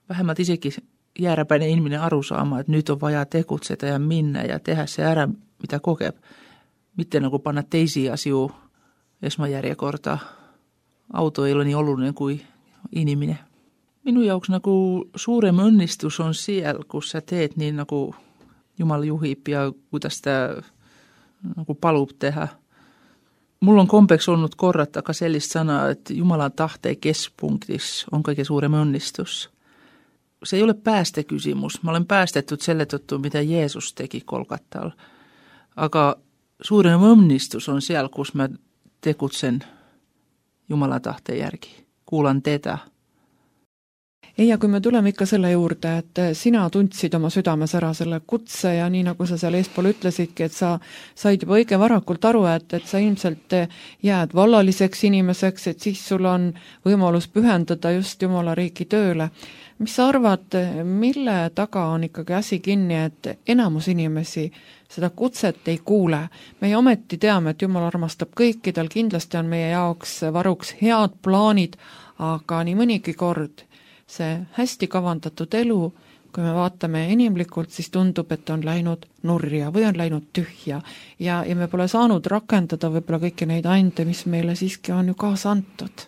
vähemmän itsekin jääräpäinen ihminen aru saamaan, että nyt on vajaa tekutseta ja minna ja tehdä se ära, mitä kokee. Miten nagu panna teisiä asioita esmajärjekortaa. Auto ei ole niin olullinen kuin iniminen. Minun jauks nagu suurem õnnistus on siellä, kun sä teet niin nagu Jumala juhib ja kuidas sitä nagu palub tehdä. Mulla on kompeks ollut korrata ka sellist sanaa, että Jumalan tahteen kespunktis on kaikkein suurem õnnistus. Se ei ole päästekysymys. Mä olen päästetty selle tõttu, mitä Jeesus teki Kolkattal. Aga suurem õnnistus on siellä, kus mä tekutsen Jumalan tahteen järgi. Kuulan teda. Ei, ja kui me tuleme ikka selle juurde, et sina tundsid oma südames ära selle kutse ja nii nagu sa seal eespool ütlesidki, et sa said juba õige varakult aru, et sa ilmselt jääd vallaliseks inimeseks, et siis sul on võimalus pühendada just Jumala riigi tööle. Mis sa arvad, mille taga on ikkagi asi kinni, et enamus inimesi seda kutset ei kuule? Meie ometi teame, et Jumal armastab kõiki, tal kindlasti on meie jaoks varuks head plaanid, aga nii mõnigi kord see hästi kavandatud elu, kui me vaatame inimlikult, siis tundub, et on läinud nurja või on läinud tühja ja me pole saanud rakendada võib-olla kõiki neid ande, mis meile siiski on ju kaasa antud.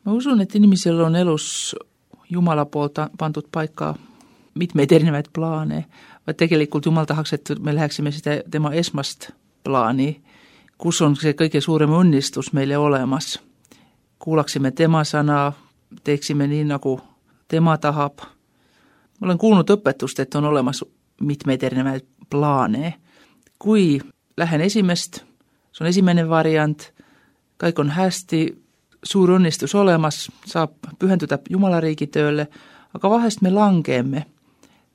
Ma usun, et inimesel on elus Jumala poolt pandud paikka mitmeid erinevaid plaane, vaid tegelikult Jumal tahaks, et me läheksime sitä tema esmast plaani, kus on see kõige suurem õnnistus meile olemas. Kuulaksime tema sana, teeksime nii, nagu tema tahab. Ma olen kuulnud õpetust, et on olemas mitmeid erinevaid plaane. Kui lähen esimest, see on esimene variant, kõik on hästi, suur õnnistus olemas, saab pühenduda Jumala riigi tööle, aga vahest me langeemme.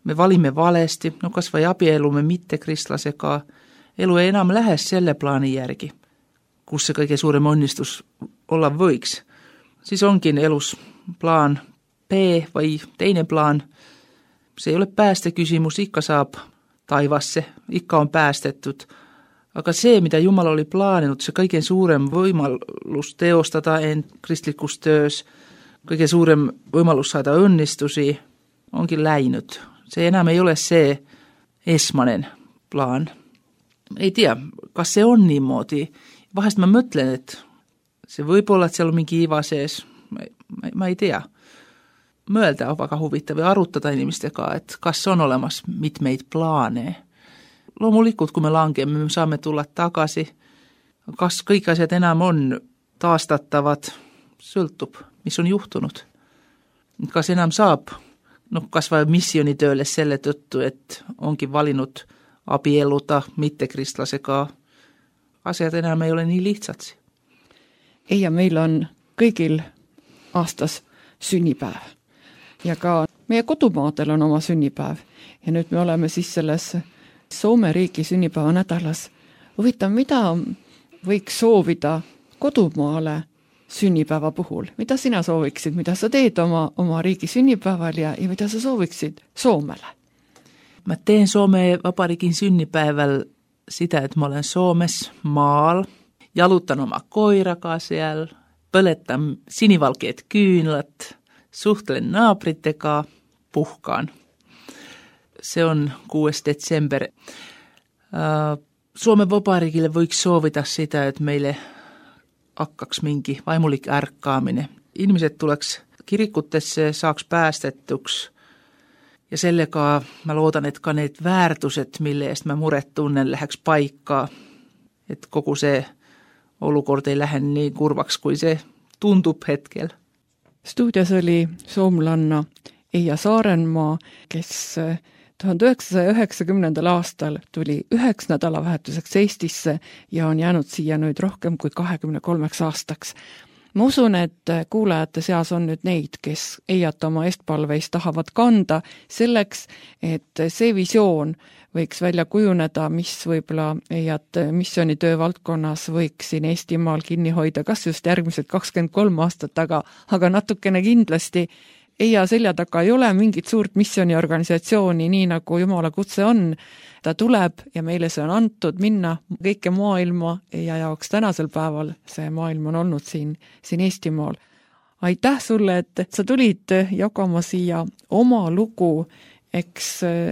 Me valime valesti, no kas või abielume mitte kristlasega. Elu ei enam lähe selle plaani järgi, kus see kõige suurem õnnistus olla võiks. Siis onkin elus plaan B või teine plaan. Se ei ole päästekysymys, ikka saab taivasse, ikka on päästettud. Aga see, mitä Jumala oli plaaninut, se kaiken suurem võimalus teostada end kristlikus töös, kõige suurem võimalus saada õnnistusi, onkin läinud. Se enää ei ole see esmanen plaan. Ei tiedä, kas se on niimoodi. Vahest mä mõtlen, että se võib olla, että siellä on minkin iva sees. Mä ei tiedä. Myöältä on vaikka huvittavia aruttada inimistekaan, että kas on olemas mitmeitä plaaneja. Loomulikult, kun me lankeemme, me saamme tulla takaisin. Kas kõik asjad enam on taastatavad, sõltub, mis on juhtunud. Kas enam saab, kas vai missionitöölle selle tõttu, et onkin valinnut abieluta mittekristlasega. Asiat enää ei ole niin lihtsatsi. Ei, ja meil on kõigil aastas sünnipäev. Ja ka meie kodumaadel on oma sünnipäev. Ja nüüd me oleme siis selles Soome riigi sünnipäeva nädalas. Huvitav, mida võiks soovida kodumaale sünnipäeva puhul? Mida sina sooviksid? Mida sa teed oma riigi sünnipäeval ja mida sa sooviksid Soomele? Mä teen Suomen Vapariikin synnipäivällä sitä, että mä olen Suomessa maal, jalutan oma koirakaa siellä, pöletän sinivalkeat kyynlät, suhtelen naaprittekaa, puhkaan. Se on 6. detsember. Suomen Vapariikille voiko soovita sitä, että meille akkaks minki vaimulik ärkkaaminen. Ihmiset tuleks kirikutesse, saaks päästettyks. Ja sellekaa mä luotan, että ka need väärtuset, mille eest mä muret tunnen, läheks paikkaa. Että koko se olukord ei lähde niin kurvaks, kuin se tuntub hetkel. Stuudios oli soomlanna Eija Saarenmaa, kes 1990. aastal tuli 1 nädalavahetuseks Eestisse ja on jäänud siia nüüd rohkem kui 23 aastaks. Ma usun, et kuulajate seas on nüüd neid, kes Eijat oma eestpalveis tahavad kanda selleks, et see visioon võiks välja kujuneda, mis võib-olla Eijat missioonitöö valdkonnas võiks siin Eestimaal kinni hoida, kas just järgmised 23 aastat, aga natukene kindlasti. Eija selja taga ei ole mingit suurt missiooniorganisatsiooni, nii nagu Jumala kutse on. Ta tuleb ja meile see on antud minna kõike maailma ja jaoks tänasel päeval see maailm on olnud siin Eestimaal. Aitäh sulle, et sa tulid jagama siia oma lugu. Eks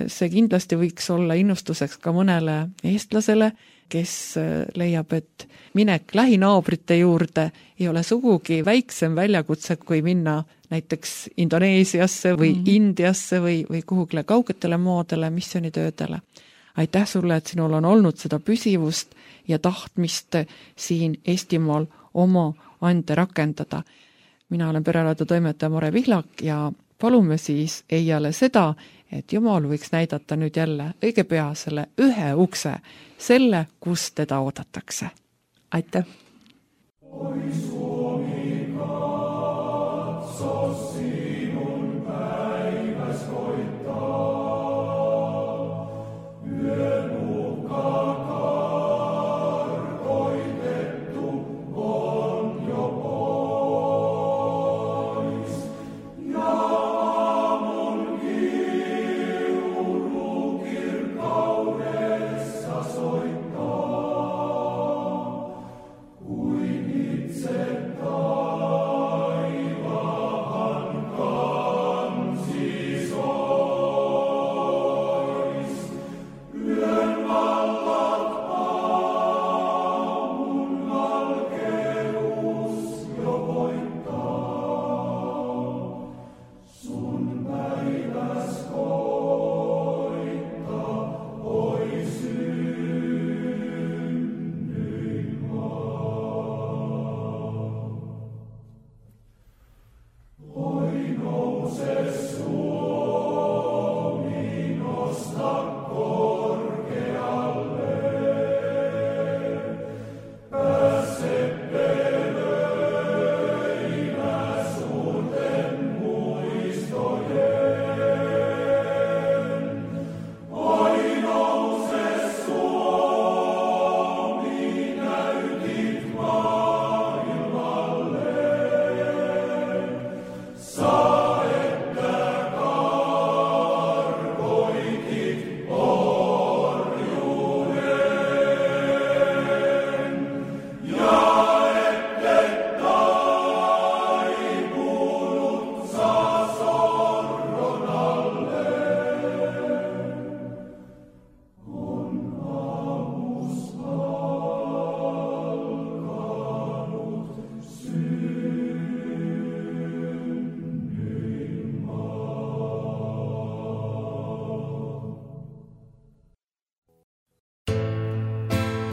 see kindlasti võiks olla innustuseks ka mõnele eestlasele, kes leiab, et minek lähinaabrite juurde ei ole sugugi väiksem väljakutse, kui minna näiteks Indoneesiasse või Indiasse või kuhugile kaugetele maadele, missioonitöödele. Aitäh sulle, et sinul on olnud seda püsivust ja tahtmist siin Eestimaal oma ande rakendada. Mina olen pereradio toimetaja Mare Pihlak ja palume siis Eijale seda, et Jumal võiks näidata nüüd jälle õige pea selle ühe ukse, selle, kus teda oodatakse. Aitäh!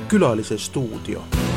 Külalise stuudio.